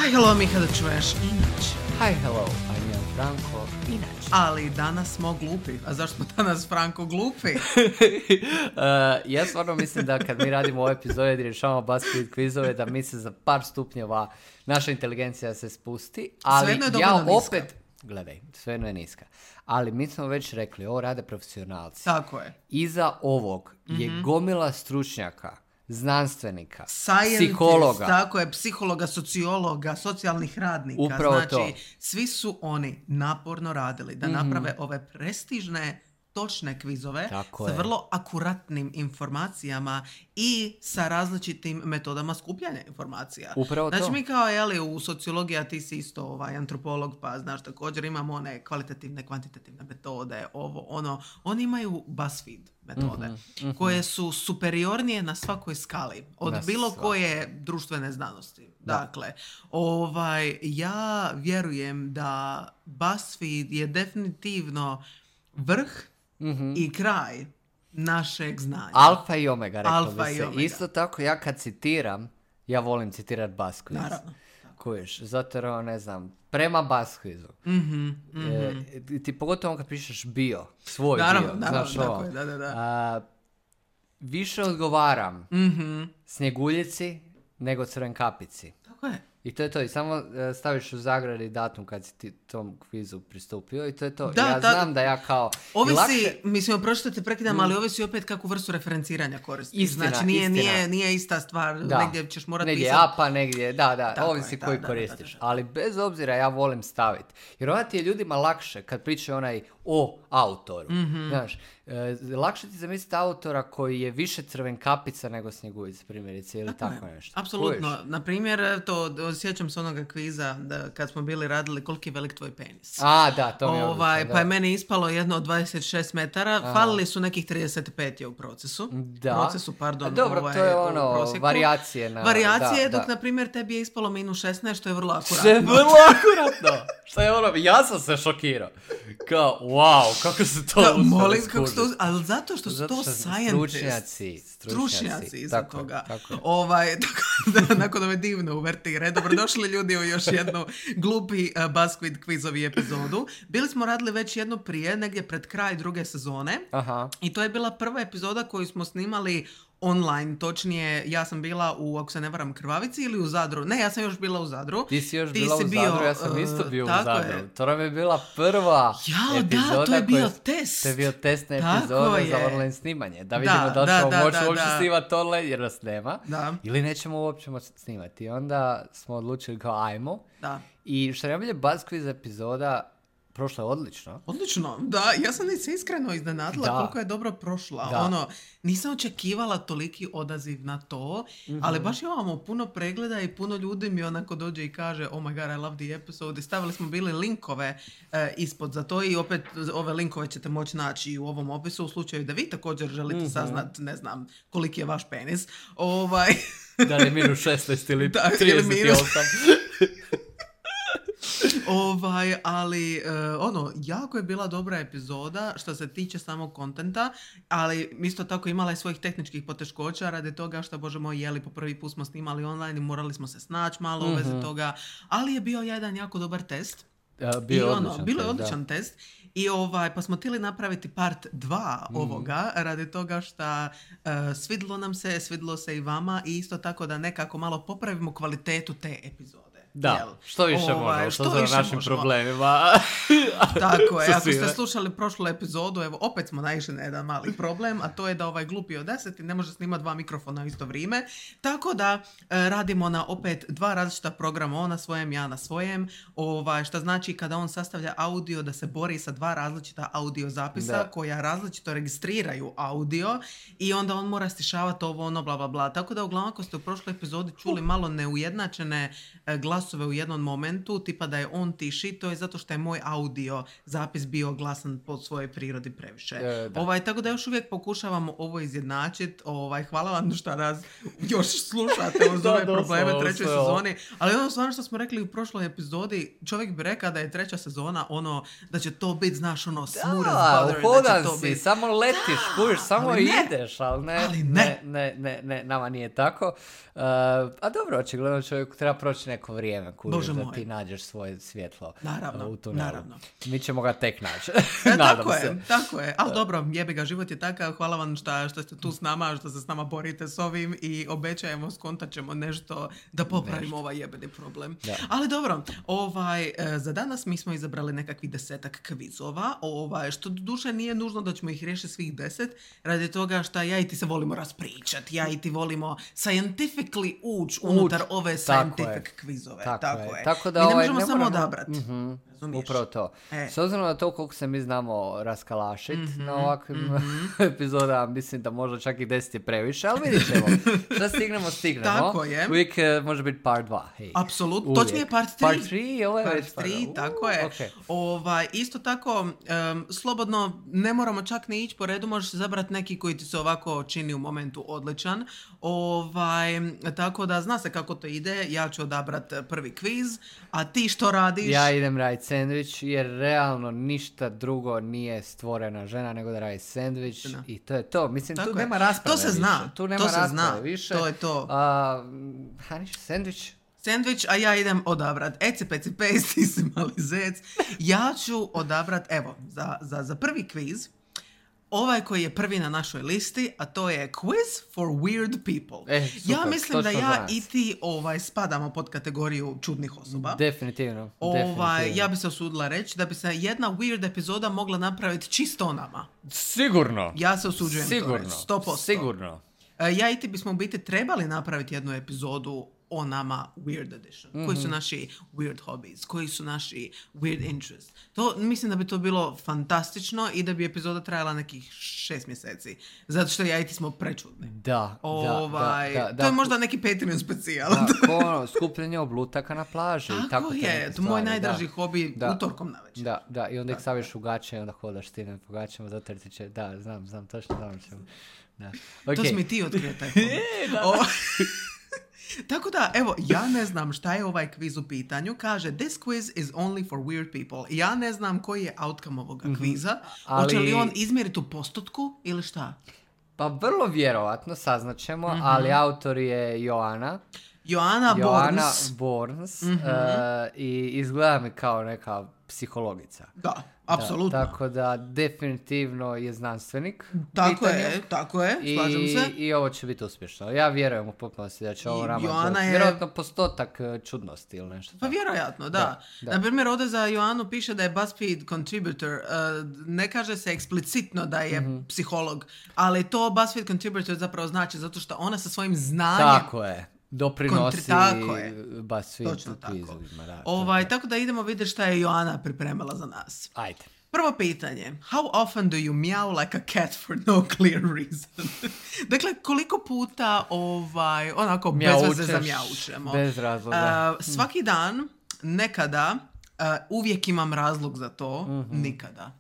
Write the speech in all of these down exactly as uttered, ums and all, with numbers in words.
Hi, hello, Miha, da čuješ inače. Hi, hello, I'm Jan Franko, inače. Ali danas smo glupi. A zašto smo danas, Franko, glupi? uh, ja stvarno mislim da kad mi radimo ove epizode i rješavamo BuzzFeed kvizove, da mi se za par stupnjeva naša inteligencija se spusti. Ali Svejedno je ja dovoljno opet, niska. Gledaj, svejedno je niska. Ali mi smo već rekli, ovo rade profesionalci. Tako je. Iza ovog je mm-hmm. gomila stručnjaka, znanstvenika, Scientist, psihologa. Tako je, psihologa, sociologa, socijalnih radnika. Upravo znači, to. svi su oni naporno radili da Mm-hmm. naprave ove prestižne, točne kvizove Tako sa je. vrlo akuratnim informacijama i sa različitim metodama skupljanja informacija. Upravo znači, to. mi kao, jeli, u sociologiji, a ti si isto ovaj, antropolog, pa znaš, također imamo one kvalitativne, kvantitativne metode, ovo, ono. Oni imaju BuzzFeed metode, Mhm, mhm. koje su superiornije na svakoj skali od Na bilo svakoj. koje društvene znanosti. Da. Dakle, ovaj, ja vjerujem da BuzzFeed je definitivno vrh Mhm. i kraj našeg znanja. Alfa i omega, reklo Alfa bi i se. omega. Isto tako, ja kad citiram, ja volim citirati BuzzQuiz. Naravno. Kužiš, zato jer, ono, ne znam, prema BuzzQuizu. Mhm, mhm. E, ti pogotovo kad pišeš bio, svoj Naravno, bio, naravno, znaš tako ovo. je, da, da, da. A, više odgovaram Mhm. Snjeguljici nego Crvenkapici. Tako je. I to je to. I samo e, staviš u zagradi datum kad si ti tom kvizu pristupio i to je to. Da, ja da. znam da ja kao... i Ovisi, lakše- mislim, opročito te prekidam, ali ovisi opet kakvu vrstu referenciranja koristiš. Istina, znači, nije, istina. nije, nije ista stvar, Da. negdje ćeš morati negdje pisati. apa, negdje, da, da, Tako ovisi je, da, koji da, koristiš. da, da, da. Ali bez obzira ja volim staviti. Jer onda ti je ljudima lakše kad pričaju onaj o autoru. Mhm. Znaš, e, lakše ti zamisliti autora koji je više Crvenkapica nego Snjeguljica, primjerice, ili tako, Tako je. nešto. Apsolutno. Kužiš? Na primjer, to sjećam se onoga kviza da kad smo bili radili koliki je velik tvoj penis. A, da, to mi je Ovaj, odlično, pa je da. meni ispalo jedno od dvadeset šest metara, Aha. falili su nekih trideset pet je u procesu. Da. Procesu, pardon. A dobro, ovaj, to je u ono, prosjeku. varijacije na- Varijacije, da, dok da. na primjer tebi je ispalo minus šesnaest, što je vrlo akuratno. Što je vrlo akuratno. Što je ono, ja sam se šokirao. Kao, wow, kako su to Da, uspjeli molim, kako skužiti. su to, ali zato što su Zato to što su scientists. stručnjaci, Stručnjaci stručnjaci, iza tako je, toga. tako je. Ovaj, tako da, nakon ove divne uvertire, dobrodošli ljudi u još jednu glupi uh, BuzzFeed kvizovi epizodu. Bili smo radili već jednu prije, negdje pred kraj druge sezone. Aha. I to je bila prva epizoda koju smo snimali online, točnije ja sam bila u, ako se ne varam, Krvavici ili u Zadru. Ne, ja sam još bila u Zadru. Ti si još Ti bila si u bio, Zadru, ja sam uh, isto bio u tako Zadru. je. To nam je bila prva Jao, epizoda. da, to je bio koja- test. To je bio testna Tako epizoda za je. online snimanje. Da Da, vidimo da li da, ćemo da, moći da, uopće da. snimati online jer nas nema. Da, Ili nećemo uopće moći snimati. I onda smo odlučili kao ajmo. da. I što je najbolje, BuzzQuiz epizoda prošla je odlično. Odlično, da, ja sam se iskreno iznenadila Da. koliko je dobro prošla. Da. Ono, nisam očekivala toliki odaziv na to, ali baš imamo puno pregleda i puno ljudi mi onako dođe i kaže oh my god, I love the episode. I stavili smo bili linkove e, ispod za to i opet ove linkove ćete moći naći i u ovom opisu u slučaju da vi također želite saznat, ne znam, koliki je vaš penis. Ovaj... Da li je minus šesnaest ili Da, ili trideset osam. Ovaj, ali e, ono, jako je bila dobra epizoda što se tiče samog kontenta, ali isto tako imala je svojih tehničkih poteškoća radi toga što, bože moj, jeli po prvi put smo snimali online i morali smo se snaći malo u vezi toga, ali je bio jedan jako dobar test. Ja, bio I je ono, odličan bilo je test, odličan test i ovaj, pa smo htjeli napraviti part dva Mhm. ovoga radi toga što uh, svidlo nam se, svidlo se i vama i isto tako da nekako malo popravimo kvalitetu te epizode. Da, Jel? što više Ovaj, možemo, što što za više našim možemo. problemima. Tako je, Sa ako ste svime. slušali prošlu epizodu, evo opet smo naišli na jedan mali problem, a to je da ovaj glupi od deset ne može snimati dva mikrofona u isto vrijeme, tako da e, radimo na opet dva različita programa, on na svojem, ja na svojem, ovaj, što znači kada on sastavlja audio da se bori sa dva različita audio zapisa Da. koja različito registriraju audio i onda on mora stišavati ovo ono bla bla bla, tako da uglavnom ako ste u prošloj epizodi čuli malo neujednačene e, glasove u jednom momentu, tipa da je on tiši, to je zato što je moj audio zapis bio glasan po svojoj prirodi previše. E, da. ovaj, tako da još uvijek pokušavamo ovo izjednačiti. Ovaj, hvala vam što nas još slušate uz Da, ove doslovno, probleme trećoj sve ovo. sezoni. Ali ono stvarno što smo rekli u prošloj epizodi, čovjek bi rekao da je treća sezona ono, da će to biti, znaš, ono, smooth as Da, butter, da uhodan će to si, biti... samo letiš, kužiš, samo ali ne. ideš, ali ne, Ali ne, ne. ne, ne, ne, nama nije tako. Uh, a dobro, očigledno čovjeku treba proći neko vrijeme. vrijeme, kužiš, Bože da moj. ti nađeš svoje svjetlo Naravno, uh, u tunelu. naravno. Mi ćemo ga tek naći. E, Nadam tako se. je, tako je. Ali dobro, jebi ga, život je takav. Hvala vam šta, što ste tu s nama, što se s nama borite s ovim i obećajemo, skontat ćemo nešto da popravimo nešto. Ovaj jebeni problem. Da. Ali dobro, ovaj, e, za danas mi smo izabrali nekakvih desetak kvizova, ovaj, što duše nije nužno da ćemo ih riješiti svih deset, radi toga što ja i ti se volimo raspričati, ja i ti volimo scientifically ući unutar ove scientific kvizove. Tako, tako je. je. Tako da mi ne ovaj, možemo ne samo moramo... odabrati. Mm-hmm. Razumiješ? Upravo to. E. S obzirom na to koliko se mi znamo raskalašit mm-hmm, na ovakvim mm-hmm. epizodama, mislim da možda čak i deset je previše, ali vidit ćemo. Šta stignemo, stignemo. Tako je. Uvijek uh, može biti part dva. Hey. Apsolutno. Točnije part tri. Part tri, ovo je part već tri, uh, tako je. Okay. Ovaj, isto tako, um, slobodno, ne moramo čak ni ići po redu, možeš zabrati neki koji ti se ovako čini u momentu odličan. Ovaj, tako da zna se kako to ide, ja ću odabrat prvi kviz, a ti što radiš? Ja idem raditi sandvič, jer realno ništa drugo nije stvorena žena nego da radi sandvič i to je to. Mislim, tako tu je. nema rasprave To se više. zna, Tu nema to se rasprave zna, više. to je to. A, Haniš, sandvič? Sandvič, a ja idem odabrat eci peci pejst, ti si mali zec. Ja ću odabrat, evo, za, za, za prvi kviz, ovaj koji je prvi na našoj listi, a to je Quiz for Weird People. E, super, ja mislim da ja nas. i ti ovaj, spadamo pod kategoriju čudnih osoba. Definitivno. Ovaj, definitivno. ja bi se osudila reći da bi se jedna weird epizoda mogla napraviti čisto o nama. Sigurno. Ja se osuđujem Sigurno. to reći, sto posto. Sigurno. Ja i ti bismo u biti trebali napraviti jednu epizodu o nama Weird Edition. Mm-hmm. Koji su naši weird hobbies, koji su naši weird interests. To, mislim da bi to bilo fantastično i da bi epizoda trajala nekih šest mjeseci. Zato što ja i ti smo prečudni. Da, ovaj, da, da, da, to je da, možda neki Patreon specijal. Da, ko ono, skupljenje oblutaka na plaži. Tako, tako je, to je moj najdraži da. hobi Da. utorkom navečer. Da, da, i onda ih staviš u gaće i onda hodaš ti na po gaćama, zato jer ti će, da, znam, znam, točno znam čemu. Da. Okay. To si mi ti otkrio taj hobi. O, tako da, evo, ja ne znam šta je ovaj kviz u pitanju. Kaže, this quiz is only for weird people. Ja ne znam koji je outcome ovoga mm-hmm. kviza. Ali... Hoće li on izmjeriti u postotku ili šta? Pa vrlo vjerovatno, saznaćemo, mm-hmm. ali autor je Joana. Joana, Joana Borns. Borns. Mm-hmm. Uh, I izgleda mi kao neka psihologica. Da, apsolutno. Da, tako da definitivno je znanstvenik. Tako pitanju. je, tako je, slažem I, se. I ovo će biti uspješno. Ja vjerujem u potpunosti da će ovo nama Joana doći. je... Vjerojatno postotak čudnosti ili nešto. Pa vjerojatno, da. Da, da. Na primjer, ovdje za Joanu piše da je BuzzFeed contributor. Uh, ne kaže se eksplicitno da je mm-hmm. psiholog, ali to BuzzFeed contributor zapravo znači zato što ona sa svojim znanjem... Tako je. Doprinosi Kontri- BuzzFeed tako. kvizovima. Da, ovaj, tako da idemo vidjeti šta je Joana pripremila za nas. Ajde. Prvo pitanje. How often do you meow like a cat for no clear reason? Dakle, koliko puta ovaj, onako bez veze zamjaučemo? Bez razloga. Uh, svaki dan, nekada, uh, uvijek imam razlog za to, mm-hmm. nikada.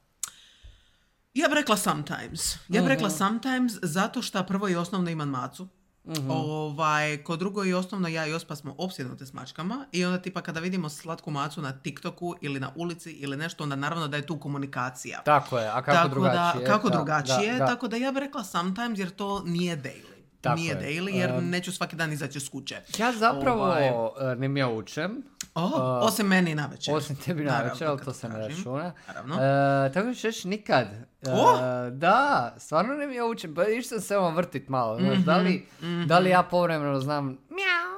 Ja bih rekla sometimes. Ja bih rekla sometimes zato što prvo i osnovno imam macu. Mm-hmm. Ovaj, kod drugo i osnovno ja i Ospa smo opsjednute s mačkama i onda tipa kada vidimo slatku macu na TikToku ili na ulici ili nešto, onda naravno da je tu komunikacija. Tako je, a kako tako drugačije? Da, kako da, drugačije, da, da. tako da ja bih rekla sometimes jer to nije daily. Tako nije je. daily jer Um, neću svaki dan izaći s kuće. Ja zapravo Ovaj... ne mi ja učem. Oh, uh, osim meni na večer. Osim tebi na večer, ali to se ne računa. Naravno. Uh, tako ću reći nikad. Uh, oh! Da, stvarno ne mi ja učem. Pa išao sam se ovo vrtit malo. Mm-hmm, znaš, da, li, mm-hmm. da li ja povremeno znam mjau?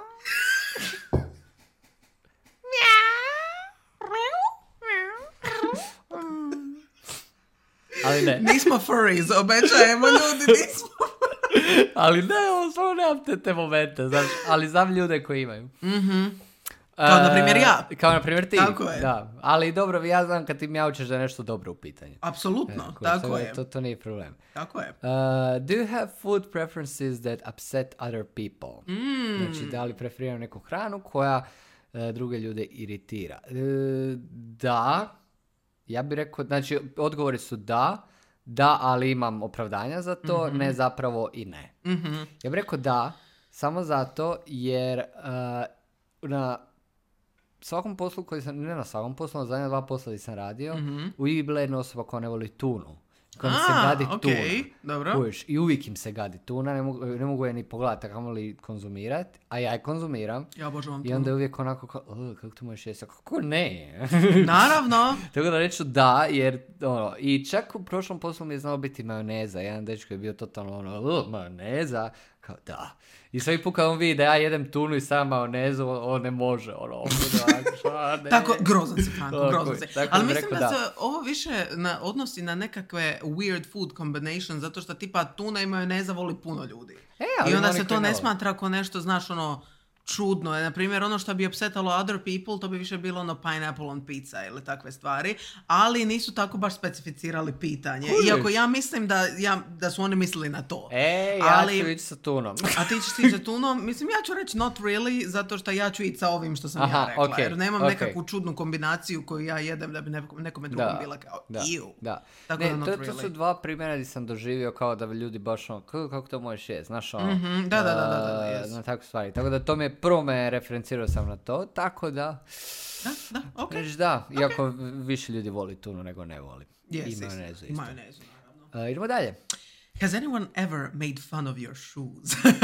Ali ne. Nismo furries, obećajemo ljudi, nismo. Ali ne, ovo stvarno nemam te, te momente, znaš, ali znam ljude koji imaju. Mm-hmm. Kao na primjer ja. Kao na primjer ti. Tako je. Da. Ali dobro, ja znam kad ti mjaučeš da je nešto dobro u pitanju. Apsolutno, e, tako to, je. To, to nije problem. Tako je. Uh, do you have food preferences that upset other people? Mm. Znači, da li preferiraju neku hranu koja uh, druge ljude iritira? Uh, da. Ja bih rekao, znači, odgovori su da. Da, ali imam opravdanja za to, mm-hmm. ne zapravo i ne. Mm-hmm. Ja bih rekao da, samo zato jer uh, na svakom poslu koji sam, ne na svakom poslu, na zadnja dva posla koji sam radio, mm-hmm. uvijek bila jedna osoba koja ne voli tunu. kojim se gadi okay. tuna. Dobro. Uviš, i uvijek im se gadi tuna, ne mogu, ne mogu je ni pogledati, kako li konzumirati, a ja je konzumiram. Ja obožavam I onda je uvijek onako kao, kako to možeš jesti? Kako ne? Naravno. Tako da reću da, jer ono, i čak u prošlom poslu mi je znao biti majoneza. Jedan dečko je bio totalno ono, majoneza, kao da. I svaki put kad on vidi da ja jedem tunu i sam majonezu, on ne može, ono, ono, ne. Tako, grozan si, Franko, grozan si. Tako Ali mislim rekao, da, da se ovo više na, odnosi na nekakve weird food combination, zato što tipa tuna i majoneza voli puno ljudi. E, ali i onda oni se to koji ne ne smatra ako nešto, znaš, ono, čudno je. Na primjer, ono što bi upsetalo other people, to bi više bilo ono pineapple on pizza ili takve stvari, ali nisu tako baš specificirali pitanje. Kužiš. Iako ja mislim da, ja, da su oni mislili na to. E, ja ali, ću ići sa tunom. A ti ćeš ići sa tunom? Mislim, ja ću reći not really, zato što ja ću ići sa ovim što sam Aha, ja rekla. okay, jer nemam okay. nekakvu čudnu kombinaciju koju ja jedem da bi nekom, nekome drugom Da, bila kao da, iu. da. Tako Ne, da not to, really. to su dva primjera gdje sam doživio kao da bi ljudi baš ono, kako, kako to možeš jesti, znaš ono. Mm-hmm, da, da, da, da, da, da, uh, yes. na takve stvari. Tako da to me prvo me referencirao sam na to, tako da Da, da, okej. reći da, iako više ljudi voli tunu nego ne voli. Yes, I majonezu I isto. majonezu, naravno. Uh, idemo dalje. Has anyone ever made fun of your shoes?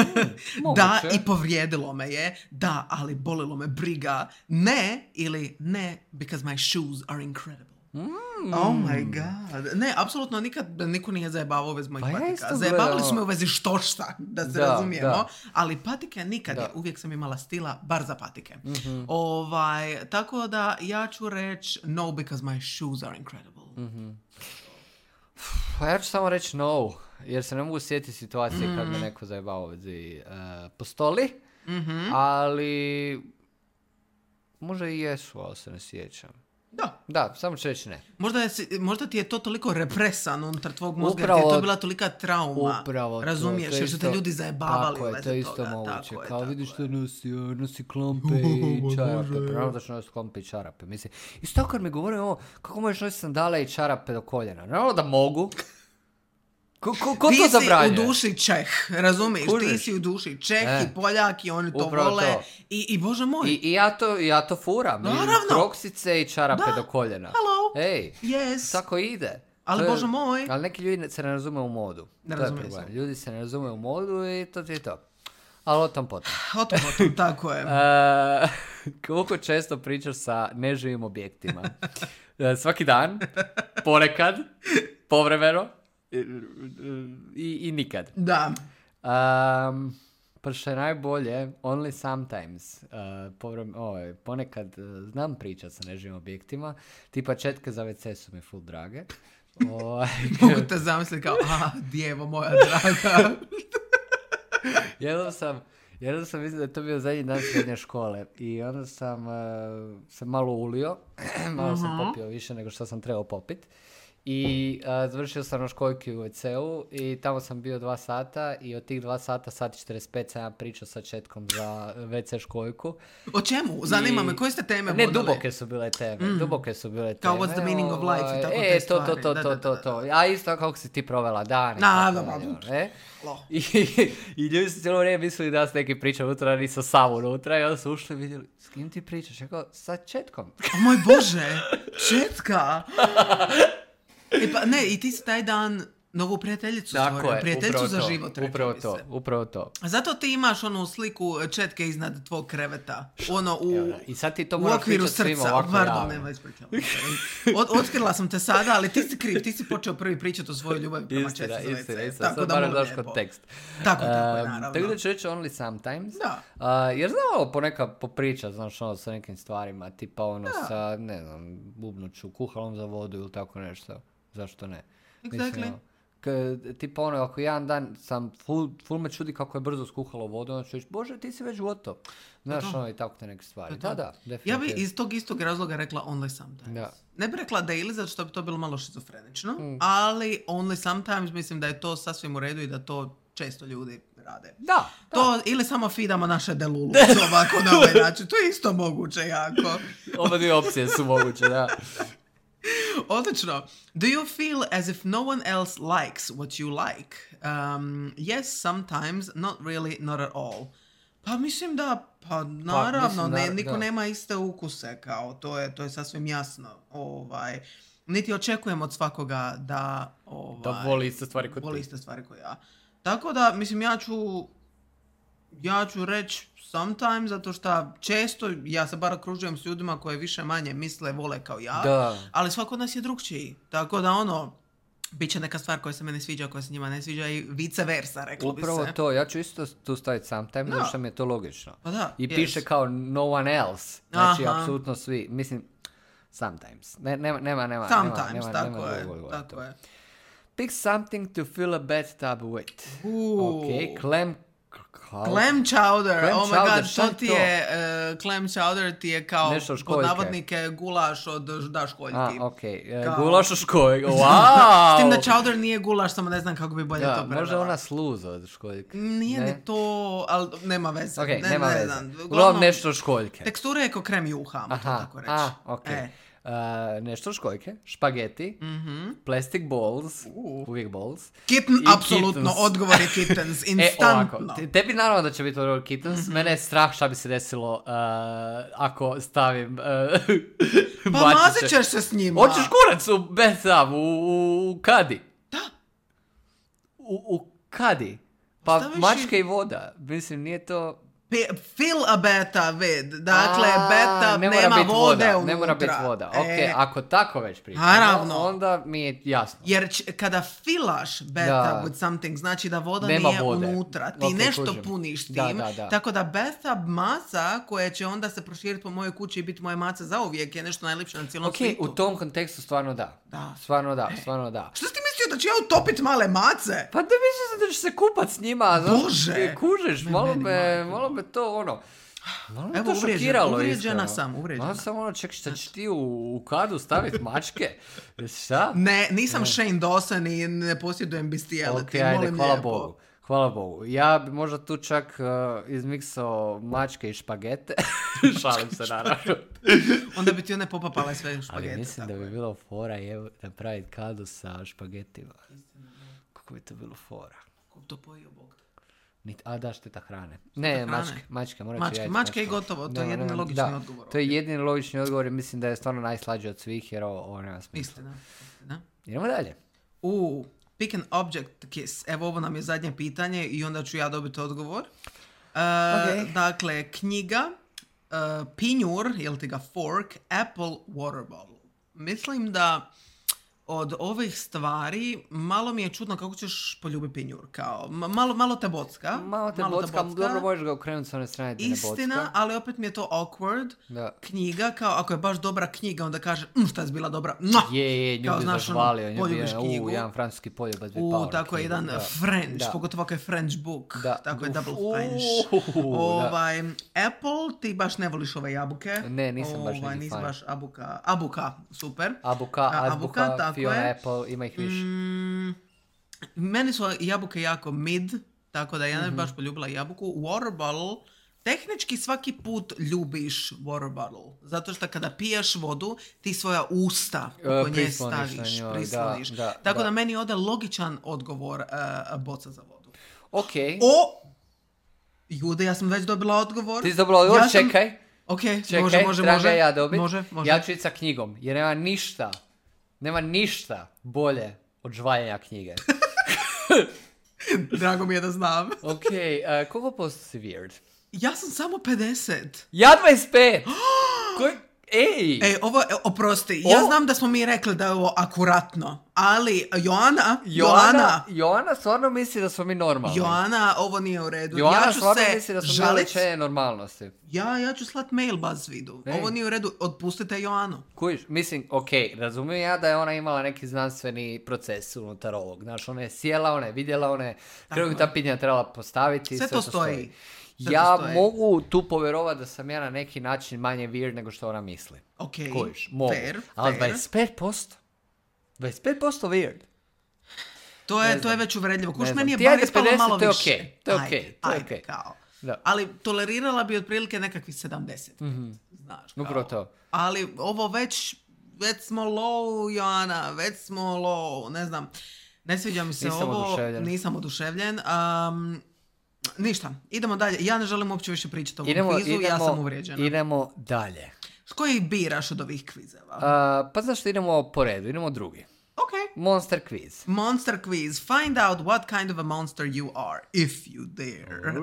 moguće. Da, i povrijedilo me je. Da, ali bolilo me briga. Ne, ili ne, because my shoes are incredible. Mm. Oh my god. Ne, apsolutno nikad niko nije zajebavao u vezi mojih Pa ja patika. isto Zajebavali gledam. su me u vezi štošta, da se Da, razumijemo. da. Ali patike nikad. Da. Je. Uvijek sam imala stila, bar za patike. Mm-hmm. Ovaj, tako da ja ću reći no, because my shoes are incredible. Mm-hmm. Pa ja ću samo reći no, jer se ne mogu sjetiti situacije mm. kad me neko zajebao u vezi uh, postoli, Mm-hmm. ali možda i jesu, ali se ne sjećam. Da. Da, samo ću reći ne. Možda, je, možda ti je to toliko represan unutar tvog mozga, Upravo- jer ti je to bila tolika trauma. Upravo to. Razumiješ, to je jer su te isto- ljudi zajebavali Tako u je, vezi to je isto toga. moguće. Tako je, Kao tako vidiš je. što nosi, o, nosi klampe i čarape. Pravno da ću nositi klampe i čarape. Mislim, isto kad mi govore ovo, kako možeš nositi sandale i čarape do koljena? Naravno da mogu. Ko, ko, ko Ti to si zabranjuje? u duši Čeh, razumiješ? Ti Kužiš? si u duši Čeh E. i Poljak i oni to Upravo vole. to. I, I bože moj. I, I ja to, ja to furam. I Naravno. kroksice i čarape Da. do koljena. Hello. Ej, Yes. tako ide. Ali To je- bože moj. Ali neki ljudi se ne razume u modu. Ne to je razumiju problem. se. Ljudi se ne razume u modu i to ti je to. Ali o tom potom. O tom, o tom, tako je. E, koliko često pričaš sa neživim objektima? E, svaki dan, ponekad, povremeno i, i, i nikad. Da. Um, pa što je najbolje, only sometimes, uh, povrem, ovaj, ponekad uh, znam pričat sa neživim objektima, tipa četke za ve ce su mi full drage. Ovaj, Mogu te zamisliti kao, a, djevo moja draga. jednom sam, jednom sam mislim da je to bio zadnji dan srednje škole i onda sam uh, se malo ulio, malo sam popio više nego što sam trebao popit. I uh, završio sam na školjki u ve ce-u i tamo sam bio dva sata i od tih dva sata, sat i četrdeset pet sam ja pričao sa četkom za ve ce školjku. O čemu? Zanima I- me, koje ste teme Ne, vodili? duboke su bile teme, Mm. duboke su bile teme. Kao what's the meaning of life i tako e, te to, to, stvari. to, Da, to, da, to, da, to. da. A isto kako si ti provela dan. i Na, tako da, dalje, da. e? Lo. I, I ljudi su cijelo vrijeme mislili da se neki priča unutra, nisam sam unutra i onda su ušli i vidjeli, s kim ti pričaš? Ja kao, sa četkom. O moj Bože, četka. E pa, ne, i ti si taj dan novu prijateljicu Tako stvorio. je, Prijateljicu upravo za to, život, reklo upravo bi to, se. upravo to. Zato ti imaš onu sliku četke iznad tvog kreveta. Ono u, Evo da, i sad ti to u moraš okviru pričat svima srca. ovako Pardon, javno. nema ispričavam se. Od, otkrila sam te sada, ali ti si kriv. Ti si počeo prvi pričati o svojoj ljubavi prema Istina, četci za istina, ve ce. istina. Tako Sad da moram molim daš lijepo. kontekst. Tako, tako je, Um, naravno. Tako da ću reći only sometimes. Da. Uh, jer znam ovo ponekad popričat, znaš, ono, sa nekim stvarima, tipa ono Da. sa, ne znam, bubnuću, kuhalom za vodu ili tako nešto. Zašto ne? Exactly. ono, k- tipa ono, ako jedan dan sam, full, full me čudi kako je brzo skuhalo vodu, onda ću reći, Bože, ti si već gotov. Znaš, To to. ono, i tako te neke stvari. To to. Da, da, Ja definitivno. bi iz tog istog razloga rekla only sometimes. Da. Ne bi rekla daily, zato što bi to bilo malo šizofrenično, Mm. ali only sometimes mislim da je to sasvim u redu i da to često ljudi rade. Da, To ili samo feedamo naše delulu ovako na ovaj način. To je isto moguće jako. oba dvije opcije su moguće, da. Odlično. Do you feel as if no one else likes what you like? Um, yes, sometimes, not really, not at all. Pa mislim da, pa naravno, mislim ne, da- niko da. nema iste ukuse, kao, to je, to je sasvim jasno. Ovaj, niti očekujem od svakoga da... Ovaj, Da voli iste stvari kod voli ti. iste stvari kao ja. Tako da, mislim, ja ću... Ja ću reći sometimes, zato što često ja se bar okružujem s ljudima koje više manje misle, vole kao ja, Da. ali svako od nas je drugčiji. Tako da ono, bit će neka stvar koja se mene sviđa, koja se njima ne sviđa i vice versa, reklo bi se. Upravo to, ja ću isto tu staviti sometimes, Da. zato što mi je to logično. Pa da, I yes. piše kao no one else, znači Aha. apsolutno svi, mislim, sometimes, ne, nema, nema, nema, Sometimes, nema, nema, tako nema je, drugog tako govora. je. Pick something to fill a bathtub with. Uuu. Ok, clam... Kao, Clam chowder, Clam oh my chowder, god, šta to ti je to? je, uh, clam chowder ti je kao, Nešto od pod školjke. navodnike, gulaš od da školjki. A, ok, e, Kao- gulaš u školjki, wow! S tim da chowder nije gulaš, samo ne znam kako bi bolje Da, to prevela. možda ona sluza od školjke. Nije Ne? ni to, ali nema veze. Ok, ne, nema ne veze. znam. Uglavnom nešto od školjke. Tekstura je kao krem juha, ajmo to Aha, tako reći. a, ok. E. Uh, nešto od školjke, špageti, Mhm. plastic balls, Uh. uvijek balls. Kitten, I apsolutno, kittens. odgovor je kittens, E, instantno. ovako, te- tebi naravno da će biti odgovor kittens, Mhm. mene je strah šta bi se desilo uh, ako stavim uh, Pa mačiće. mazit ćeš se s njima. Hoćeš kurac u bathtub, u, u kadi. Da. U, u kadi. Pa Staviš mačka i- i voda. Mislim, nije to... Pe- fill a bathtub with. Dakle, A, bathtub ne mora nema bit vode voda, unutra. Ne mora biti voda. Ok, E, ako tako već pričamo, Naravno. onda mi je jasno. Jer ć- kada filaš bathtub Da. with something, znači da voda Nema nije vode. unutra. Ti Ok, nešto kužim. puniš tim. Da, da, da. Tako da bathtub masa, koja će onda se proširiti po mojoj kući i biti moje mace zauvijek, je nešto najljepše na cijelom Ok, svijetu. u tom kontekstu stvarno da. Da. Stvarno da, stvarno da. Što si ti mislio da ću ja utopit male mace? Pa da mislim da ćeš se kupat s njima. znaš, Bože! Kužiš, Ne, malo meni, me, majko. malo me to ono... Malo me Evo, to uvrijeđena- šokiralo, uvrijeđena iskreno. sam, uvrijeđena. Malo sam ono, ček, šta ćeš ti u, u kadu staviti mačke? Šta? Ne, nisam Shane Dawson i ne posjedujem bestiality. Ok, ajde, molim hvala lijepo. Bogu. Hvala Bogu. Ja bi možda tu čak uh, izmiksao mačke i špagete. Šalim se, naravno. Onda bi ti one popapale sve Ali špagete. mislim da tako bi je. bilo fora evo, napraviti kadu sa špagetima. Kako bi to bilo fora? Ko to pojio, Bog? Nit, a da, šteta hrane. Ne, hrane. mačke, mačke, morat ću Mačke, ja mačke i mačke. gotovo, to je Nema, jedini nema, logični da, odgovor To je ovdje. jedini logični odgovor i mislim da je stvarno najslađi od svih jer ovo, ovo nema smisla. Istina. Istina. Idemo dalje. U, pick an object kiss. Evo, ovo nam je zadnje pitanje i onda ću ja dobiti odgovor. Uh, Ok. Dakle, knjiga, uh, pinjur, jel ti ga fork, apple, water bottle. Mislim da od ovih stvari malo mi je čudno kako ćeš poljubiti pinjur. Kao, ma- malo, malo te bocka. Malo te bocka, dobro možeš ga okrenuti s one strane gdje ne Istina, bocka. ali opet mi je to awkward. Da. Knjiga, kao ako je baš dobra knjiga, onda kaže, mm, šta je bila dobra. Mua! Je, je, nju Kao, bi znaš, ono, zažvalio, nju bi, poljubiš u, knjigu. jedan francuski poljubac bi U, pao na tako je knjigu, jedan da. French, Da. pogotovo ako je French book. Da. Tako je Uf, double u, French. da. Ovaj, Apple, ti baš ne voliš ove jabuke. Ne, nisam baš ovaj, neki nisi fan. baš abuka. Abuka, super. Abuka, A, azbuka, abuka, tako Fiona je. Apple, ima ih više. Mm, meni su jabuke jako mid, tako da ja Mhm. ne bi baš poljubila jabuku. Water bottle, tehnički svaki put ljubiš water bottle. Zato što kada piješ vodu, ti svoja usta E, oko nje prisloniš na staviš, njoj, prisloniš. da, da, tako da. da. meni ode logičan odgovor uh, boca za vodu. Ok. O! Jude, ja sam već dobila odgovor. Ti si dobila odgovor, Ja sam- čekaj. Ok, Čekaj, može, može, treba može. ga ja dobit. Može, može. Ja ću ići sa knjigom, jer nema ništa, nema ništa bolje od žvaljenja knjige. Drago mi je da znam. Ok, uh, koliko posto si weird? Ja sam samo pedeset. Ja dvadeset pet! Koji... Ej! E, ovo, e, oprosti, ja O- znam da smo mi rekli da je ovo akuratno, ali Joana, Joana, Joana, Joana stvarno misli da smo mi normalni. Joana, ovo nije u redu. Joana ja ću stvarno se misli da smo mi žalit. uličenje normalnosti. Ja, ja ću slat mail BuzzFeedu. Ej. Ovo nije u redu, otpustite Joanu. Kužiš, mislim, ok, razumijem ja da je ona imala neki znanstveni proces unutar ovog. Znaš, ona je sjela, ona je vidjela, ona je krvim ta pitanja trebala postaviti. Sve to stoji. Sve Ja to stoji. mogu tu povjerovati da sam ja na neki način manje weird nego što ona misli. Ok, Kužiš, mogu. fair, Ali fair. dvadeset pet posto? dvadeset pet posto weird. To je, Ne to je znam. već uvredljivo. Kuš, Ne meni je znam. Ti bar ajde ispalo pedeset, malo to je više. okej, to je Ajde, okej, to je ajde, okej. kao. Da. Ali tolerirala bi otprilike nekakvih sedamdeset. Mhm. Znaš, kao. Upravo to. Ali ovo već, već smo low, Joana, već smo low, ne znam. Ne sviđa mi se Nisam ovo. oduševljen. Nisam oduševljen. Um, ništa, idemo dalje. Ja ne želim uopće više pričati o ovom Idemo, kvizu, idemo, ja sam uvrijeđena. idemo dalje. S koji biraš od ovih kvizeva? Uh, pa znaš što idemo po redu, idemo drugi. Ok. Monster quiz. Monster quiz. Find out what kind of a monster you are, if you dare.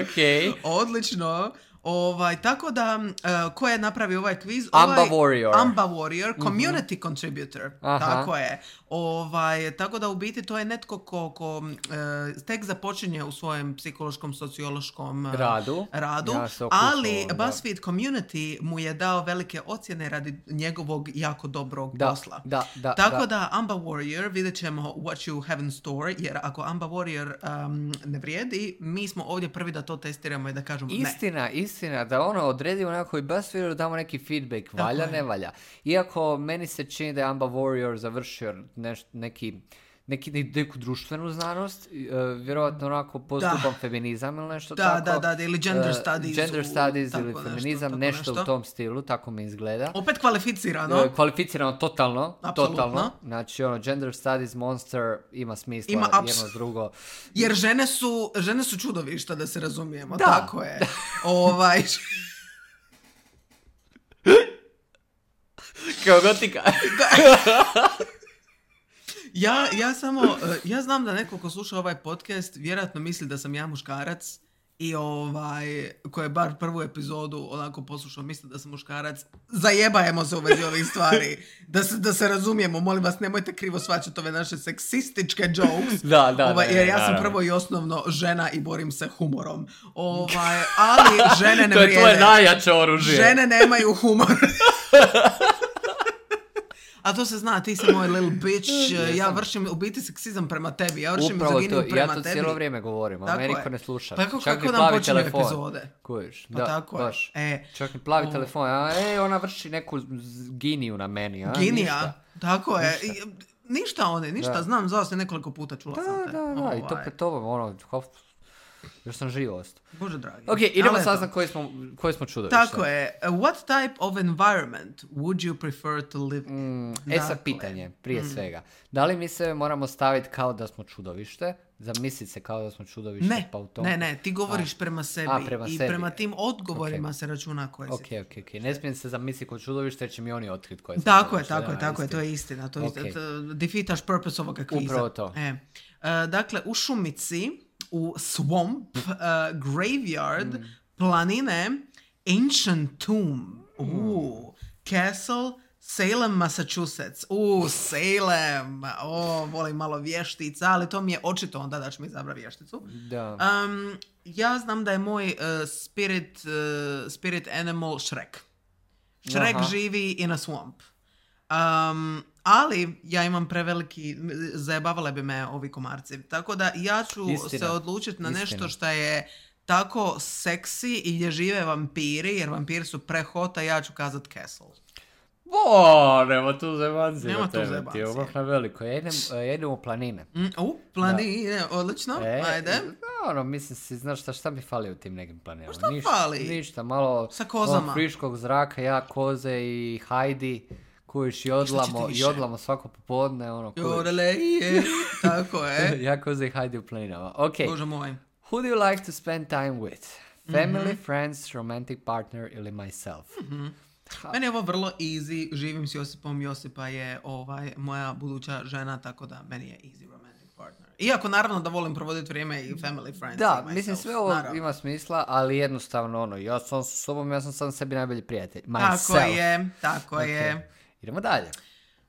Ok. Odlično. Ovaj, tako da, uh, ko je napravio ovaj kviz? Amba ovaj, Warrior. Amba Warrior, community mm-hmm. contributor. Aha. Tako je. Ovaj, tako da u biti to je netko ko, ko uh, tek započinje u svojem psihološkom, sociološkom uh, radu, radu ja ali onda. BuzzFeed Community mu je dao velike ocjene radi njegovog jako dobrog da, posla. Da, da, tako da. da Amba Warrior, vidjet ćemo what you have in store, jer ako Amba Warrior um, ne vrijedi, mi smo ovdje prvi da to testiramo i da kažemo istina, ne. Istina, istina, da ono odredimo nekako i BuzzFeedu, damo neki feedback, valja, ne valja. Iako meni se čini da je Amba Warrior završio neš, neki, neki, neku društvenu znanost, uh, vjerojatno onako postupan feminizam ili nešto da, tako. Da, da, da, ili gender studies. Uh, gender u, studies ili nešto, feminizam, nešto, nešto u tom stilu, tako mi izgleda. Opet kvalificirano. Uh, kvalificirano totalno, Apsolutno. totalno. Znači, ono, gender studies, monster, ima smisla ima jedno abs- drugo. Jer žene su, žene su čudovišta, da se razumijemo. Da. Tako je. ovaj... Kao gotika. ja, ja samo, ja znam da neko ko sluša ovaj podcast vjerojatno misli da sam ja muškarac i ovaj, ko je bar prvu epizodu onako poslušao, misli da sam muškarac. Zajebajemo se u vezi ovih stvari. Da se, da se razumijemo, molim vas, nemojte krivo shvaćati ove naše seksističke jokes. Da, da, ovaj, da, jer ja sam prvo i osnovno žena i borim se humorom. Ovaj, ali žene ne vrijede. To je tvoje najjače oružje. Žene nemaju humor. A to se zna, ti si moj little bitch, yes, ja vršim u biti seksizam prema tebi, ja vršim mizoginiju prema tebi. Ja to cijelo vrijeme govorim, a meni niko ne sluša. Pa kako, čak kako nam počinju telefon. epizode? Kužiš, Pa da, tako baš. E, čak mi plavi o... telefon, a e, ona vrši neku giniju na meni, a? Ginija, ništa. Tako je. Ništa, ništa one, ništa, da. Znam, zvao se nekoliko puta, čula da, sam te. Da, da, da, ovaj. i to pred tobom, ono, hof, još sam živo ostao. Bože dragi. Ok, idemo saznat koji smo, koji smo čudovište. Tako je. What type of environment would you prefer to live in? Mm, e sad pitanje, prije mm. svega. Da li mi se moramo staviti kao da smo čudovište? Zamisliti se kao da smo čudovište? Ne, pa u tom... ne, ne, ti govoriš a. prema sebi. A, prema i sebi. prema tim odgovorima okay. se računa koje si. Ok, ok, ok. Ne smijem se zamisliti kao čudovište jer će mi oni otkriti koje se tako je, tako je, tako je, to je istina. To je okay. istina. Defeataš purpose ovoga kviza. Upravo to. E. Uh, dakle, u šumici, u swamp, uh, graveyard, mm. planine, ancient tomb, mm. uh, castle, Salem, Massachusetts. U, Salem. O, volim malo vještica, ali to mi je očito onda da ću mi izabrati vješticu. Da. Um, ja znam da je moj uh, spirit, uh, spirit animal Shrek. Shrek Aha. živi in a swamp. Um, ali ja imam preveliki, zajebavale bi me ovi komarci. Tako da ja ću Istina. se odlučiti na Istina. nešto što je tako seksi i gdje žive vampiri, jer vampiri su prehota, ja ću kazat Castle. O, nema tu zebanci. Nema tu zebanci. Ti ovak na veliko. Ja idem, ja idem u planine. Mm, u, planine, da. Odlično, e, ajde. Ono, mislim si, znaš šta, šta mi fali u tim nekim planinama? Šta ništa, fali? Ništa, malo sa kozama. friškog zraka, ja, koze i Heidi. Kujiš i odlamo, i odlamo svako popodne, ono, kujiš. Jodele, je, tako je. ja, koze i Heidi u planinama. Ok. Bože moj. Who do you like to spend time with? Family, mm-hmm. friends, romantic partner ili myself? Mm-hmm. Meni je ovo vrlo easy, živim s Josipom, Josipa je ovaj, moja buduća žena, tako da meni je easy romantic partner. Iako naravno da volim provoditi vrijeme i family, friends da, i myself. mislim sve ovo naravno. ima smisla, ali jednostavno ono, ja sam s sobom, ja sam sam sebi najbolji prijatelj. Myself. Tako je, tako okay. je. Idemo dalje.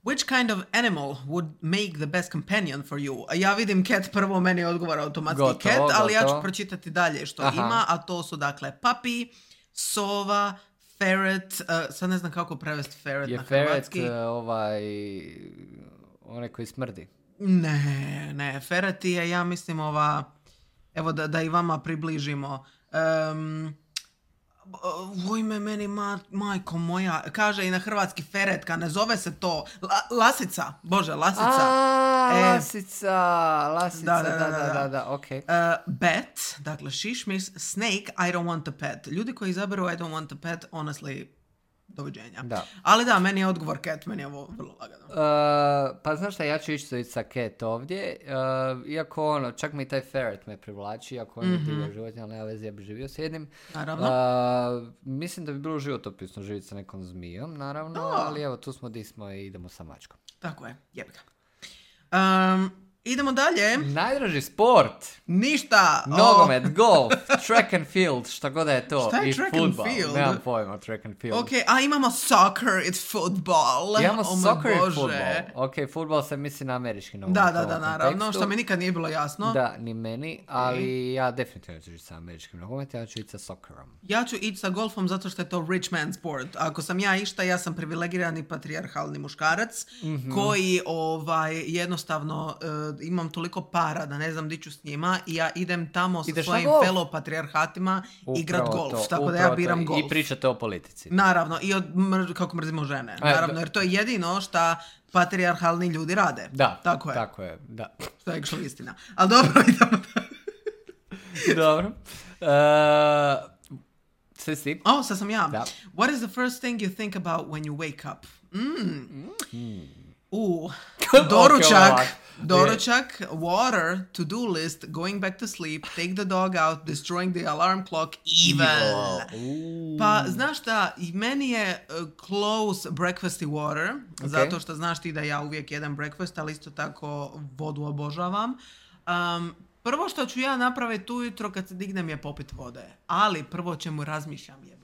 Which kind of animal would make the best companion for you? Ja vidim cat prvo, meni odgovara automatski gotovo, cat, ali gotovo. Ja ću pročitati dalje što Aha. ima, a to su dakle papi, sova, ferret, uh, sad ne znam kako prevesti ferret je na hrvatski. Je ferret uh, ovaj, onaj koji smrdi? Ne, ne, ferret je, ja mislim ova, evo da, da i vama približimo. Um, u ime meni, ma, majko moja, kaže i na hrvatski feretka, ne zove se to, La, lasica, bože, lasica. A, e, lasica, lasica, da, da, da, da, da, da ok. Uh, bat, dakle, šišmiš, snake, I don't want a pet. Ljudi koji izaberu I don't want a pet, honestly, doviđenja. Da. Ali da, meni je odgovor Cat, meni je ovo vrlo lagano. Uh, pa znaš šta, ja ću ići sa Cat ovdje, uh, iako ono, čak mi taj ferret me privlači, iako on je mm-hmm. divljak životinja, ali nema veze, ja bi živio s jednim. Naravno. Uh, mislim da bi bilo životopisno živjeti sa nekom zmijom, naravno, oh. ali evo, tu smo di smo i idemo sa mačkom. Tako je, jebi ga. Um, idemo dalje. Najdraži sport. Ništa. Nogomet, oh. golf, track and field, šta god je to. Šta je i track football. and field? Nemam pojma, track and field. Ok, a imamo soccer, it's football. Imamo oh soccer i Bože. football. Ok, football se misli na američki nogomet. Da, da, da, naravno, što mi nikad nije bilo jasno. Da, ni meni, ali okay. ja definitivno ću ići sa američkim nogometom, ja ću ići sa soccerom. Ja ću ići sa golfom zato što je to rich man sport. Ako sam ja išta, ja sam privilegirani patrijarhalni muškarac mm-hmm. koji ovaj, jednostavno uh, imam toliko para da ne znam di ću s njima i ja idem tamo sa Ideš svojim fellow patrijarhatima igrat golf. To, tako da ja biram to. golf. I pričate o politici. Naravno, i od mr- kako mrzimo žene. Naravno, jer to je jedino šta patrijarhalni ljudi rade. Da, tako je. Tako je, da. To je actually istina. Ali dobro, idemo da. Dobro. Uh, sve si? O, sad sam ja. Da. What is the first thing you think about when you wake up? Mm. Mm. Uh, doručak, okay, doručak, water, to-do list, going back to sleep, take the dog out, destroying the alarm clock, evil. Pa, znaš šta, i meni je uh, close breakfast i water, okay. zato što znaš ti da ja uvijek jedem breakfast, ali isto tako vodu obožavam. Um, prvo što ću ja napraviti ujutro kad se dignem je popit vode, ali prvo čemu razmišljam je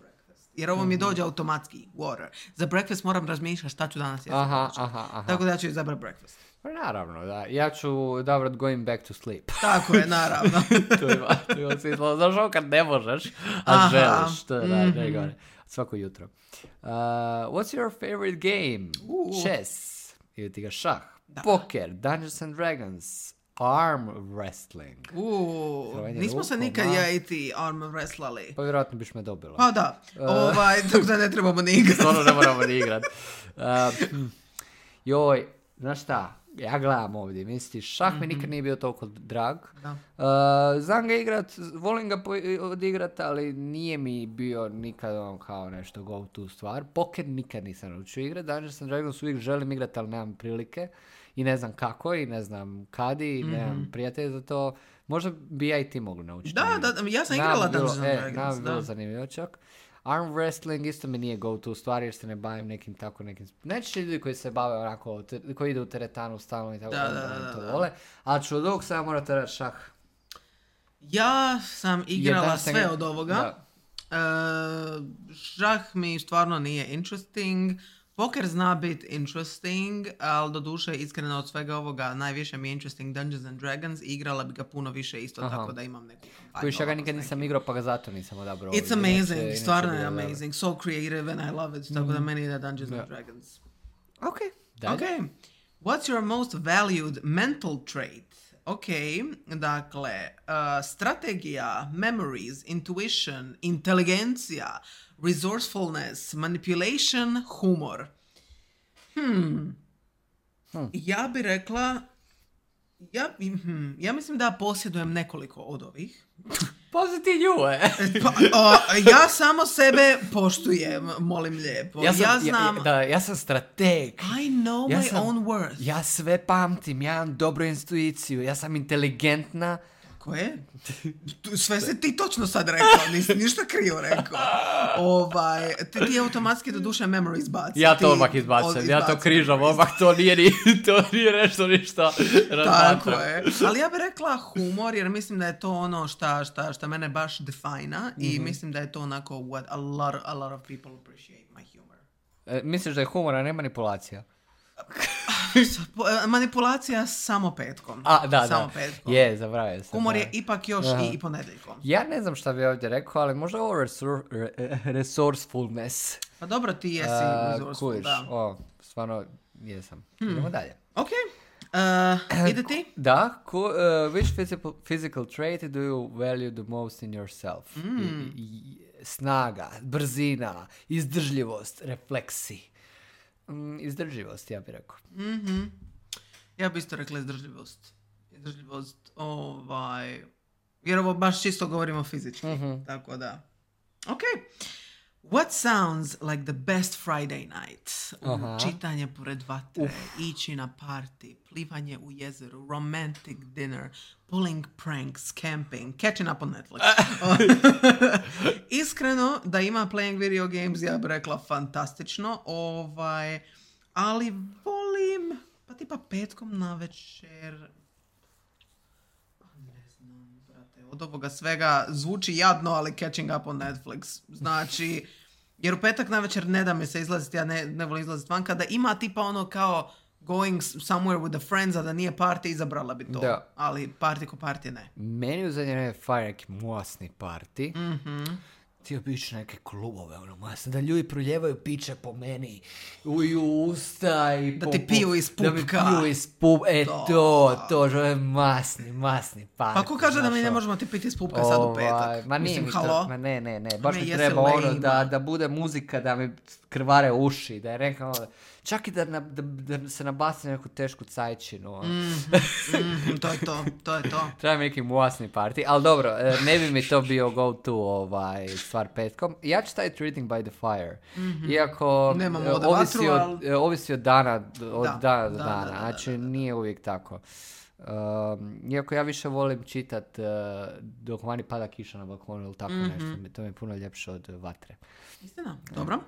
jer ovo mi dođe automatski, water. Za breakfast moram razmišljati šta ću danas jesti. Aha, aha, aha. Tako da ja ću izabrati breakfast. Pa naravno, da. Ja ću odabrati going back to sleep. Tako je, naravno. to ima, to ima smisla. Znaš ovo kad ne možeš, a aha. želiš. To je mm-hmm. da, da, svako jutro. Uh, what's your favorite game? Uh. Chess. Ili ti ga šah. Da. Poker. Dungeons and Dragons. Arm wrestling. Uuu, nismo se nikad ma... ja i ti arm wrestlali. Pa vjerojatno biš me dobila. Pa da, uh, ovaj, tako da ne trebamo ni igrati. Stvarno ne moramo ni igrati. Uh, joj, znaš šta, ja gledam ovdje, misliš, šah mm-hmm. mi nikad nije bio toliko drag. Da. Uh, znam ga igrat, volim ga odigrat, ali nije mi bio nikad on kao nešto go to stvar. Poker nikad nisam naučio igrat, Dungeons and Dragons uvijek želim igrat, ali nemam prilike. I ne znam kako, i ne znam kad, i mm-hmm. nemam prijatelja za to. Možda bi ja i ti mogli naučiti. Da, da, ja sam igrala Dungeons and Dragons. Nam bi bilo zanimljivo čak. Arm wrestling isto mi nije go to stvar, jer se ne bavim nekim tako nekim... Neće ljudi koji se bave onako, koji idu u teretanu stalno i tako, da, da, da, to da, vole. Ali ću od ovog sada morate reći šah. Ja sam igrala sve ga... od ovoga. Uh, šah mi stvarno nije interesting. Poker zna biti interesting, ali do duše iskreno od svega ovoga najviše mi je interesting Dungeons and Dragons. Igrala bi ga puno više isto. Aha. Tako da imam neku kampanju. Kojiš, ja ga nikad nisam igrao pa ga zato nisam odabrao. It's amazing, inače, stvarno je amazing. So creative and I love it. Tako mm. da meni ide Dungeons yeah. and Dragons. Ok, dalje. Ok. What's your most valued mental trait? Ok, dakle, uh, strategija, memories, intuition, inteligencija, resourcefulness, manipulation, humor. Hmm. hmm. Ja bi rekla, ja, hmm, ja mislim da posjedujem nekoliko od ovih. Pazi ti nju, e. pa, o, ja samo sebe poštujem, molim lijepo. Ja sam, ja znam... ja, da, ja sam strateg. I know ja my sam, own worth. Ja sve pamtim, ja imam dobru intuiciju, ja sam inteligentna. Ko je? Sve se ti točno sad rekao, nisi ništa krivo rekao. Ovaj, ti, ti automatski do duše memory izbaci. Ja to odmah izbacim, ja to križam odmah, to nije, ni, to nije nešto ništa. Tako je. Ali ja bih rekla humor, jer mislim da je to ono šta, šta, šta mene baš defina mm-hmm. i mislim da je to onako what a lot, a lot of people appreciate my humor. E, misliš da je humor, a ne manipulacija? Manipulacija samo petkom. A, da, samo da. petkom. Je, zaboravio sam. Humor je ipak još Aha. i, i ponedjeljkom. Ja ne znam šta bi ovdje rekao, ali možda ovo resor, re, resourcefulness. Pa dobro, ti jesi uh, resourceful, kuliš. Da. O, stvarno, jesam. Hmm. Idemo dalje. Ok. Uh, ide ti? Da. Ko, uh, which physical, physical trait do you value the most in yourself? Mm. I, i, snaga, brzina, izdržljivost, refleksi. Izdržljivost, ja bih rekao. Mm-hmm. Ja bih isto rekla izdržljivost. Izdržljivost, ovaj... Jer ovo baš čisto govorimo fizički. Mm-hmm. Tako da. Ok. What sounds like the best Friday night? Aha. Čitanje pored vatre, Uf. ići na party, plivanje u jezeru, romantic dinner, pulling pranks, camping, catching up on Netflix. Iskreno, da ima playing video games, ja bih rekla fantastično, ovaj, ali volim, pa tipa petkom na večer, ne znam, brate, od ovoga svega zvuči jadno, ali catching up on Netflix. Znači, jer u petak na večer ne da mi se izlaziti, ja ne, ne volim izlaziti vanka, da ima tipa ono kao going somewhere with the friends, a da nije party, izabrala bi to. Da. Ali party ko party ne. Meni u zadnje vreme fire neki masni party. Mhm. Htio bi ići neke klubove, ono, masne, da ljudi proljevaju piće po meni, u usta i da po, ti piju iz pupka. Da mi piju iz pupka, e to, to, to, to je masni, masni party. Pa ko kaže znaš, da mi ne možemo ti piti iz pupka sad u petak? Ma nije Mislim, mi halo? to, ma ne, ne, ne, baš mi treba ono da, da bude muzika, da mi krvare uši, da je rekao, čak i da, na, da, da se nabasne neku tešku cajčinu. Mm, mm, to je to, to je to. Treba mi neki masni party, ali dobro, ne bi mi to bio go to ovaj, stvar petkom. Ja ću staviti Reading by the Fire. Mm-hmm. Iako Nemamo ovisi, vatru, od, ali... ovisi od dana, od da, dana do da, dana. Da, da, znači da, da. nije uvijek tako. Um, iako ja više volim čitat uh, dok vani pada kiša na balkonu ili tako mm-hmm. nešto. To mi je puno ljepše od vatre. Istina, dobro.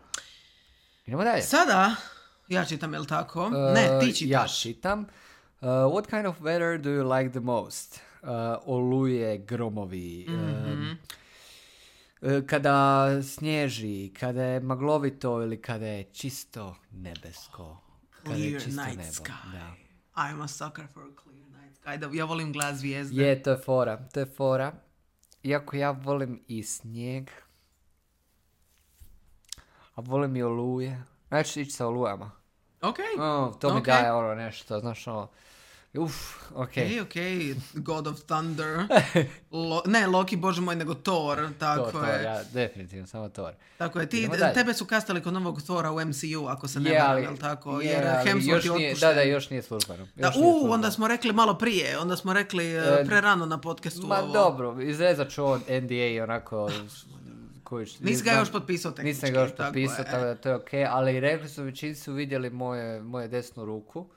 Idemo dalje. Sada, ja čitam, jel tako? Uh, ne, ti čitaš. Ja čitam. Uh, what kind of weather do you like the most? Uh, oluje, gromovi, mm-hmm. um, kada snježi, kada je maglovito ili kada je čisto nebesko. Kada clear je čisto night nebo. sky. Da. I'm a sucker for a clear night sky. Da, ja volim glas zvijezde. Je, to je fora. To je fora. Iako ja volim i snijeg. A volim i oluje. Znači ići sa olujama. Ok. Oh, to mi okay. daje ono nešto, znaš ono. Uf, ok. Ok, ok. God of Thunder. Lo, ne, Loki, bože moj, nego Thor. Tako Thor, je. Thor, ja, definitivno, samo Thor. Tako je. Ti, tebe su kastali kod novog Thora u M C U, ako se ne yeah, varam, jel tako? Je, jer Hemsworth je otpušten. Da, da, još nije službeno. Da, u, onda smo rekli malo prije. Onda smo rekli uh, prerano na podcastu. Ma ovo. dobro, izrezat ću on N D A i onako... Kojiš, nisi ga još potpisao tehnički. Nisam ga još potpisao, tako, tako da to je ok, ali rekli su, većini su vidjeli moje, moje desnu ruku,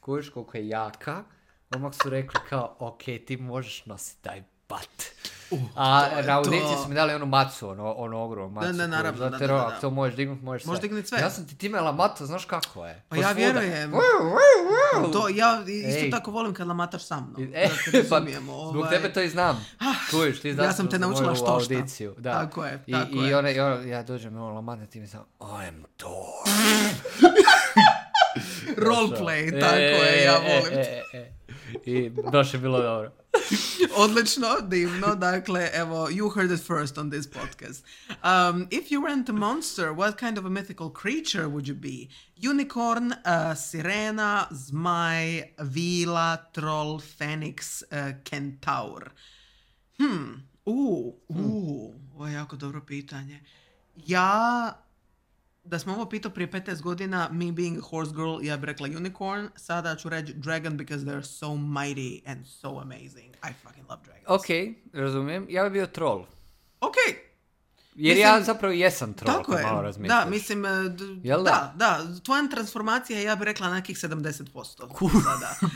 kojiš koliko je jaka, odmah su rekli kao, ok, ti možeš nositi taj bat. Uh, a na audiciji su mi dali onu macu, ono, ono ogromnu macu. Da, da, naravno, koju, da, da, da, da. Ako to možeš dignut, možeš sve. Možeš dignut sve. Ja sam ti timela matu, znaš kako je? Pa ja vjerujem. To, ja isto Ej. tako volim kad lamataš sa mnom. E, da pa, zbog tebe to i znam. Čuješ, ti znaš. Ja sam te naučila što šta. Da. Tako je, tako I, je. I, one, i one, ja dođem, ono, lamata ti mi sam, I'm Thor. Roleplay, tako e, je, ja volim. E, e, e. I baš je bilo dobro. Odlično, divno. Dakle, evo, you heard it first on this podcast. Um, if you weren't a monster, what kind of a mythical creature would you be? Unicorn, uh, sirena, zmaj, vila, troll, phoenix, uh, kentaur. Hmm, uh, uh, ovo je jako dobro pitanje. Ja... Da smo ovo pitao prije petnaest godina, me being a horse girl, ja bih rekla unicorn. Sada ću reći dragon because they're so mighty and so amazing. I fucking love dragons. Ok, razumijem. Ja bih bio troll. Ok. Jer mislim, ja zapravo jesam troll, tako je. Malo razmišljaš. Da, mislim, d- Jel da, da, tvoja transformacija je, ja bih rekla, nekih sedamdeset posto.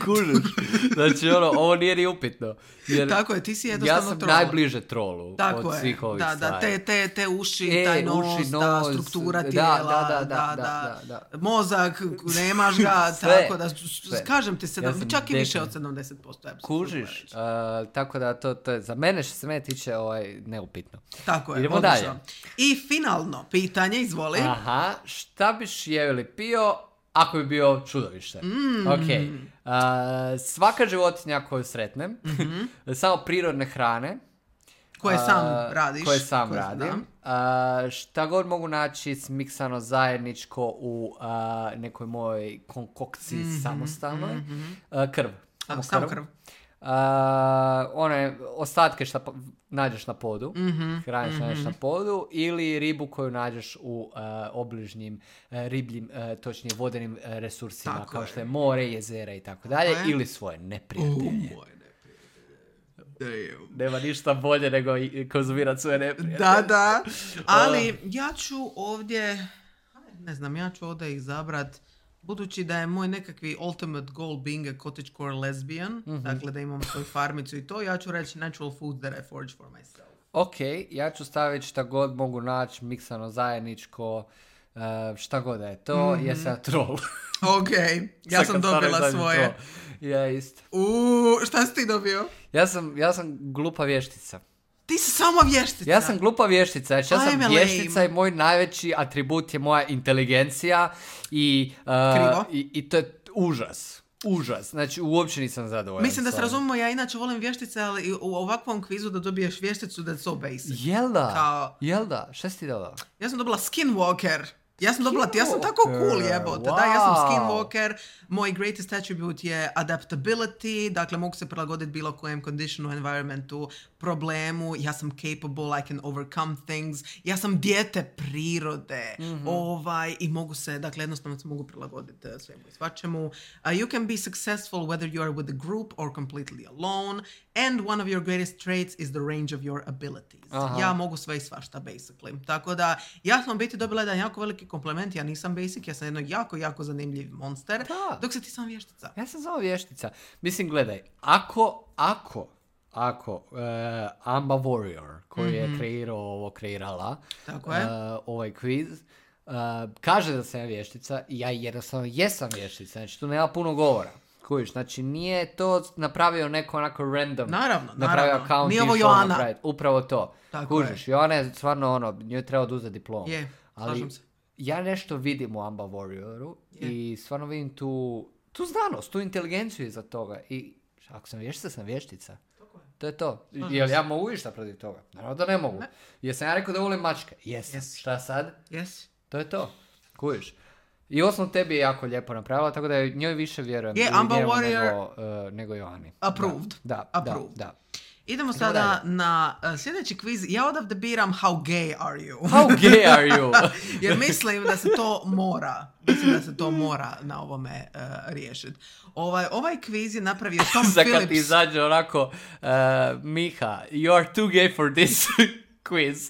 Kužiš. Znači, ono, ovo nije ni upitno. Jer tako je, ti si jednostavno troll. Ja sam troll. Najbliže trollu tako od je. svih ovih da, stvari. Da, te, te, te uši, e, taj nos, uši, nos, da, struktura tijela, da, da, da, da, da, da, da. mozak, nemaš ga, sve, tako da, sve. Kažem ti, sedam, ja čak i više od sedamdeset posto. Kužiš, uh, tako da to, to je, za mene što se mene tiče ovaj, neupitno. Tako je, idemo odlično. dalje. I finalno pitanje, izvoli. Aha, šta biš jeo ili pio ako bi bio čudovište? Mm. Ok, uh, svaka životinja koju sretnem, mm-hmm. samo prirodne hrane, koje sam radiš, koje sam koje radim, uh, šta god mogu naći smiksano zajedničko u uh, nekoj mojoj konkokciji mm-hmm. samostalnoj, mm-hmm. uh, krv. Samo krv. krv. Uh, one ostatke što nađeš na podu, mm-hmm, hraniš mm-hmm. nađeš na podu, ili ribu koju nađeš u uh, obližnjim uh, ribljim, uh, točnije vodenim uh, resursima, tako kao je. Što je more, jezera i tako dalje, ili svoje neprijatelje. Oh, Damn. Nema ništa bolje nego i konzumirati svoje neprijatelje. Da, da. Ali ja ću ovdje, ne znam, ja ću ovdje izabrat, budući da je moj nekakvi ultimate goal being a cottagecore lesbian, mm-hmm. dakle da imam svoju farmicu i to, ja ću reći natural food that I forage for myself. Ok, ja ću staviti šta god mogu naći, miksano zajedničko, uh, šta god da je to, mm-hmm. jer sam troll. Ok, ja sam dobila svoje. Ja isto. Uuu, šta si ti dobio? Ja sam, ja sam glupa vještica. Ti si samo vještica? Ja sam glupa vještica, znači ja sam I'm vještica i moj najveći atribut je moja inteligencija i, uh, i, i to je užas. Užas, znači uopće nisam zadovoljan. Mislim da se razumemo, ja inače volim vještice, ali u ovakvom kvizu da dobiješ vješticu that's so basic. Jel da? Kao... Jel da? Šta si ti dobila? Ja sam dobila Skinwalker. Ja sam dobila, ja sam tako cool jebote, wow. Da, ja sam Skinwalker, moj greatest attribute je adaptability, dakle mogu se prilagoditi bilo kojem conditionu, environmentu, problemu, ja sam capable, I can overcome things, ja sam dijete prirode, mm-hmm. ovaj, i mogu se, dakle jednostavno se mogu prilagoditi svemu i svačemu. Uh, you can be successful whether you are with a group or completely alone, and one of your greatest traits is the range of your abilities. Aha. Ja mogu sve i svašta, basically. Tako da, ja sam biti dobila jedan jako veliki komplement, ja nisam basic, ja sam jedno jako, jako zanimljiv monster, da. Dok se ti sam vještica. Ja sam samo vještica. Mislim, gledaj, ako, ako, ako uh, Amba Warrior, koji mm-hmm. je kreirao ovo, kreirala, tako je. Uh, ovaj quiz, uh, kaže da sam vještica, i ja jednostavno jesam vještica, znači tu nema puno govora. Kužiš, znači nije to napravio neko onako random. Naravno, napravio naravno. Account, nije ovo Joana. Napraviti. Upravo to. Tako kužiš, je. Joana je stvarno ono, njoj treba oduzeti diplom. Je, slažem se. Ja nešto vidim u Amba Warrioru yeah. i stvarno vidim tu, tu znanost, tu inteligenciju iza toga. I ako sam vještica, sam vještica. Tako je. To je to. Jel ja mogu išta protiv toga? Naravno da ne mogu. Ne. Jesam ja rekao da volim mačke? Jes. Yes. Šta sad? Yes. To je to. Kužiš. I osnovno tebi je jako lijepo napravila, tako da njoj više vjerujem. Je, yeah, Amba Warrior. Nego, uh, nego Joani. Approved. Da, da, Approved. da. da. Idemo sada na uh, sljedeći kviz. Ja odavde biram How gay are you? How gay are you? Jer mislim da se to mora. Mislim da se to mora na ovome uh, riješiti. Ovaj, ovaj kviz je napravio Tom Phillips. Za kad ti izađe onako, uh, Miha, you are too gay for this quiz.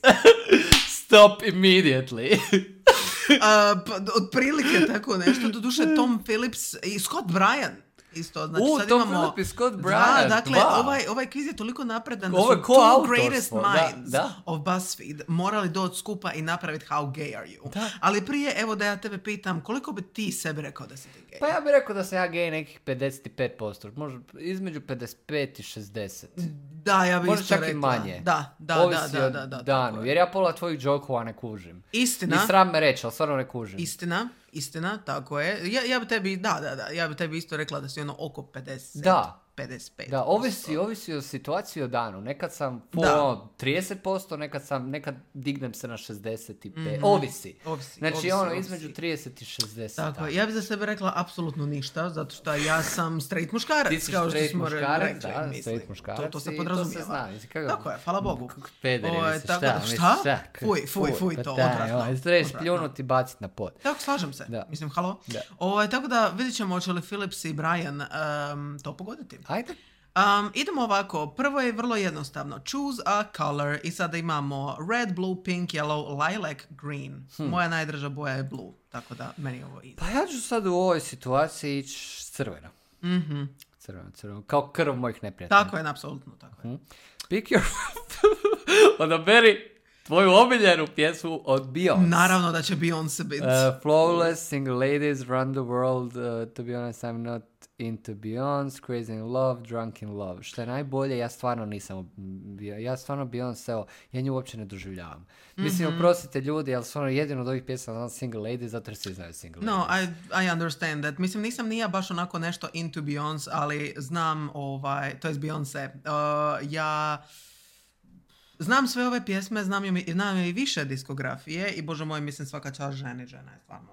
Stop immediately. uh, pa, otprilike tako nešto. Doduše Tom Phillips i Scott Bryan. Isto, znači U, sad Tom imamo... Phillips i Scott Bryan. Da, dakle, dva. ovaj, ovaj kviz je toliko napredan da Ovo su ko two autorstvo. greatest minds da, da. of BuzzFeed morali doći skupa i napraviti How gay are you. Da. Ali prije, evo da ja tebe pitam, koliko bi ti sebi rekao da si ti gay? Pa ja bih rekao da sam ja gay nekih pedeset pet posto, možda između pedeset pet i šezdeset. Da, ja bih možda isto čak rekla. i manje. Da, da, ovisi da, da, da, da. danu, jer ja pola tvojih jokova ne kužim. Istina. Ni sram me reći, ali stvarno ne kužim. Istina, istina, tako je. Ja, ja bi tebi, da, da, da, ja bi tebi isto rekla da si ono oko pedeset. Da. pedeset pet. Da, ovisi, ovisi o situaciji o danu. Nekad sam po trideset posto, nekad sam, nekad dignem se na šezdeset pet. Mm-hmm. Ovisi. Ovisi. Znači ovisi, ono ovisi. Između trideset i šezdeset. Tako je. Ja bih za sebe rekla apsolutno ništa, zato što ja sam straight muškarac. Ti si kao straight što smo muškarac, rekli, da, mislim. straight muškarac. To, to se podrazumijeva. To se zna. Mislim, kako... Tako je, hvala Bogu. Pederi, o, mislim, tako šta? Da, Mislim, šta? šta? Fuj, fuj, fuj, pa to taj, odvratno. Ovaj, trebaš pljunuti i baciti na pod. Tako, slažem se. Da. Mislim, halo. Da. O, tako da vidjet ćemo hoće li Phillips i Bryan um, to pogoditi. Ajde. Um, idemo ovako, prvo je vrlo jednostavno. Choose a color i sada imamo red, blue, pink, yellow, lilac, green. Hmm. Moja najdraža boja je blue, tako da meni ovo ide. Pa ja ću sad u ovoj situaciji ići crveno. Mm-hmm. Crveno, crveno, kao krv mojih neprijatelja. Tako je, apsolutno, tako je. Hmm. Pick your... Odaberi tvoju omiljenu pjesmu od Beyoncé. Naravno da će Beyoncé biti. Uh, flawless, single ladies, run the world, uh, to be honest, I'm not into Beyoncé, crazy in love, drunk in love. Što je najbolje, ja stvarno nisam, ja stvarno Beyoncé, evo, ja nju uopće ne doživljavam. Mm-hmm. Mislim, oprostite ljudi, ali stvarno jedino od ovih pjesama znam single ladies, zato jer svi znaju single no, ladies. No, I, I understand that. Mislim, nisam nije baš onako nešto into Beyoncé, ali znam, ovaj, to je Beyoncé. Uh, ja... Znam sve ove pjesme, znam joj, znam joj i više diskografije i bože moj, mislim svaka čast ženi, žena je stvarno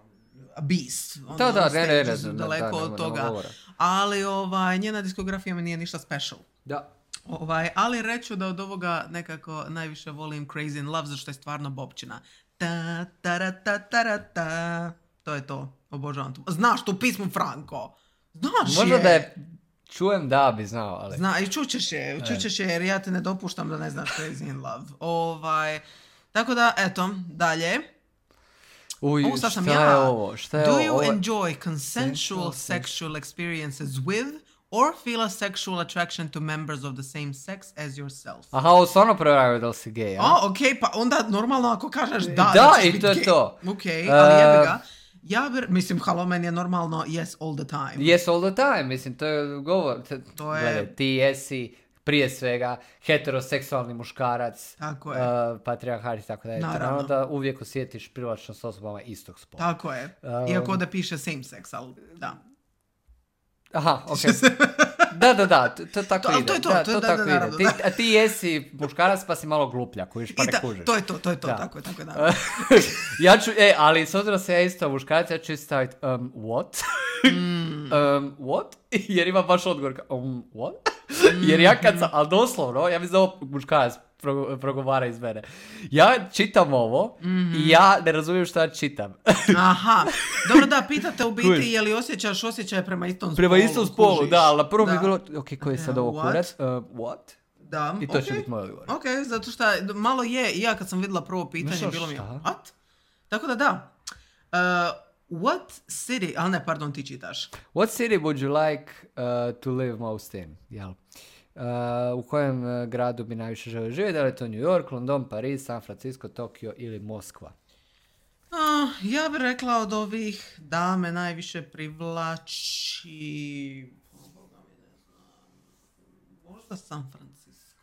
a beast. On, da, da, ne, ne, ne, daleko da, da, od toga. Ali ovaj, njena diskografija mi nije ništa special. Da. Ovaj, ali reću da od ovoga nekako najviše volim Crazy in Love, zašto je stvarno bobčina. Ta, ta, ta, ta, ta. To je to. Obožavam to. Znaš tu pismu, Franko? Znaš možda je. Da je čujem da bi znao, ali... Zna, i čućeš je, čućeš je jer ja te ne dopuštam da ne znaš Crazy in Love. Ovaj, tako da, eto, dalje. Uj, Ovo sad sam šta ja. je ovo? Šta je Do ovo? you Ovo je- enjoy consensual sexual experiences with or feel a sexual attraction to members of the same sex as yourself? Aha, ovo stvarno provjeravaju da li si gej, a? O, ok, pa onda normalno ako kažeš da, Da, ćeš i bit to je gay. to. Ok, ali Uh, jebi ga. Ja bi, mislim, halo, meni je normalno yes all the time. Yes all the time, mislim, to je govor. To, To je- Gledaj, ti jesi prije svega heteroseksualni muškarac, Tako je. uh, patrijarhat i tako dalje. Naravno. Naravno da uvijek osjetiš privlačnost s osobama istog spola. Tako je. Um, Iako ovdje piše same sex, ali da. Aha, okej. Da, da, da, to, to tako To- ali ide. to je to, da, to je- da, tako da, ide. naravno, Ti, da. a ti jesi muškarac pa si malo gluplja, kužiš, pa I ne ta- kužiš. to je to, to je to, Da. tako je, tako je, da. Ja ću, e, ali s obzirom da sam ja isto muškarac, ja ću isto staviti um, what? Mm. um, what? Jer ima baš odgovor kao, um, what? Jer ja kad sam, ali doslovno, ja mislim da ovo muškarac pro- progovara iz mene. Ja čitam ovo Mhm. i ja ne razumijem šta čitam. Aha. Dobro, da, pitate u biti Kužiš. je li osjećaš osjećaje prema istom spolu. Prema istom spolu, kužiš. da, ali na prvom Da. je bilo, ok, koji je sad ovo What? kurac? Uh, what? Da, I to će ok. biti moj odgovor. Ok, zato što malo je, i ja kad sam vidjela prvo pitanje, Znaš bilo mi je, šta? what? Tako da da. Uh, what city, ali ne, pardon, ti čitaš. What city would you like uh, to live most in? Jel? Uh, u kojem uh, gradu bi najviše želio živjeti? Da li je to New York, London, Pariz, San Francisco, Tokio ili Moskva? Uh, ja bih rekla od ovih da me najviše privlači... Možda San Francisco.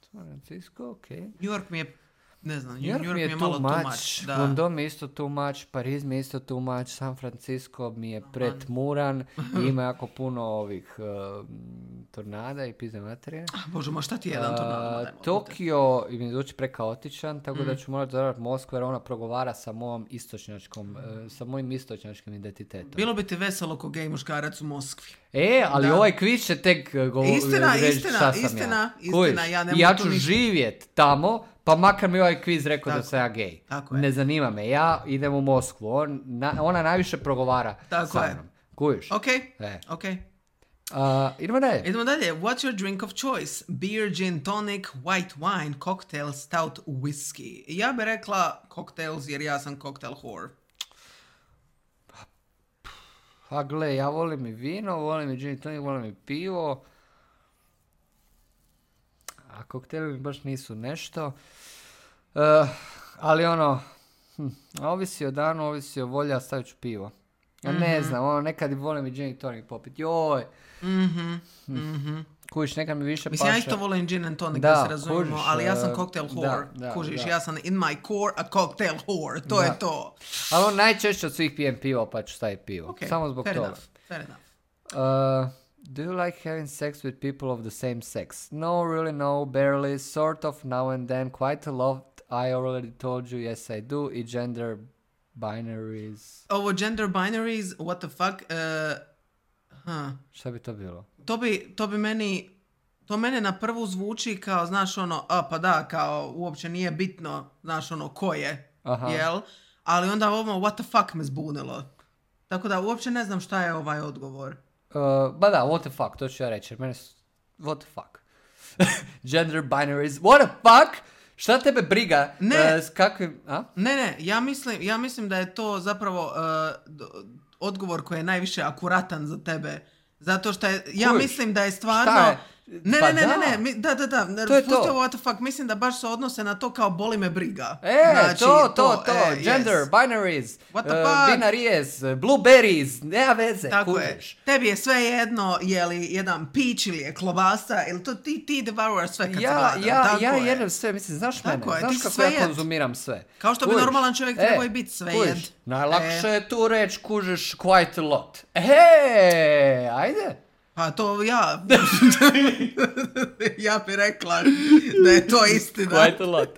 San Francisco, ok. New York mi je, ne znam, New York mi je malo too much, Da. London mi je isto too much, Pariz mi je isto too much, San Francisco mi je pretmuran i ima jako puno ovih uh, tornada i pizde materije. Ah, Bože, ma šta ti je jedan tornado? Uh, daj, molim te. Tokio mi zvuči prekaotičan, tako Mm. da ću morati zavrati Moskvu jer ona progovara sa mojom istočnjačkom, uh, sa mojim istočnjačkim identitetom. Bilo bi ti veselo ko gej muškarac u Moskvi. E, ali Da. ovaj kviz će tek uh, go- Istina, reći istina, šta sam istina, ja. istina, Kužiš? ja ne I ja mogu tu ću ništa. živjet tamo, pa makar mi ovaj kviz rekao da Tako sam ja gej. tako je. Ne zanima me, ja idem u Moskvu, On, na, ona najviše progovara Tako sa je. mnom. Kužiš? Ok, E. ok. Uh, idemo dalje. Idemo dalje. What's your drink of choice? Beer, gin, tonic, white wine, cocktail, stout, whisky. Ja bih rekla cocktails jer ja sam cocktail whore. Pa gle, ja volim i vino, volim i gin i tonic, volim i pivo. A kokteli mi baš nisu nešto. Uh, ali ono, hm, ovisi o danu, ovisi o volji, a stavit ću pivo. Ja ne znam, ono, nekad i volim i gin i tonic popit. Joj, Mhm, mhm. kužiš, nekad mi više Mislim, ja paše. isto volim gin and tonic, Da, da, se razumijemo, kužiš, ali ja sam e, cocktail da, whore. da, kužiš, da. ja sam in my core a cocktail whore. To Da. je to. Ali on najčešće od svih pijem pivo, pa ću staviti pivo. Ok, Samo zbog fair toga. enough, fair enough. Uh, do you like having sex with people of the same sex? No, really no, barely, sort of, now and then, quite a lot. I already told you, yes I do. I gender binaries. Ovo gender binaries, what the fuck, uh, huh. Šta bi to bilo? To bi, to bi meni, to mene na prvu zvuči kao, znaš ono, a pa da, kao uopće nije bitno, znaš ono, ko je, Aha. jel? Ali onda ovo, what the fuck me zbunilo. Tako da uopće ne znam šta je ovaj odgovor. Uh, ba da, what the fuck, to ću ja reći. jer Mene, s- what the fuck? Gender binaries, what the fuck? Šta tebe briga? Ne. uh, s kakvim, a? Ne, ne, ja mislim, ja mislim da je to zapravo uh, d- odgovor koji je najviše akuratan za tebe. Zato što je, ja Kužiš, mislim da je stvarno... šta je? Ne, Pa ne, ne, da. ne, ne, mi- da, da, da, To je pusti to. ovo what the fuck, mislim da baš se odnose na to kao boli me briga. E, Znači, to, to, to, e, gender, yes. binaries, What the uh, fuck? binaries, uh, blueberries, nema veze, Tako kužiš. je. Tebi je sve jedno je li jedan pić ili je klobasa, ili to ti, ti devouraš sve kad Ja, si gladan. ja, Tako ja je. jedem sve, mislim, znaš Tako mene, je, znaš ti si kako sve ja jed. konzumiram sve. Kao što bi Kužiš? normalan čovjek E, trebao i biti sve kužiš, jed. Najlakše E. je tu reći, kužiš, quite a lot. He, ajde. Pa to ja... ja bi rekla da je to istina. Quite a lot.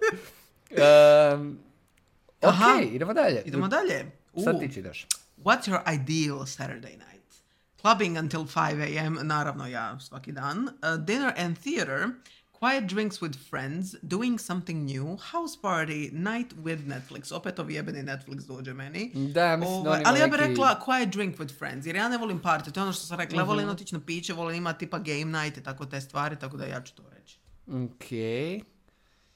Um, Aha. ok, idemo dalje. Idemo dalje. Sad U. ti čitaš. What's your ideal Saturday night? Clubbing until five a.m. Naravno ja svaki dan. Uh, dinner and theater. Quiet drinks with friends, doing something new, house party, night with Netflix. Opet ovi jebeni Netflix dođe meni. Da, mislim da Ovaj, on ima ali ja bih neki- rekla quiet drink with friends, jer ja ne volim party. To je ono što sam rekla, ja Mhm. volim otići na piće, volim imati tipa game night i tako te stvari, tako da ja ću to reći. Okej.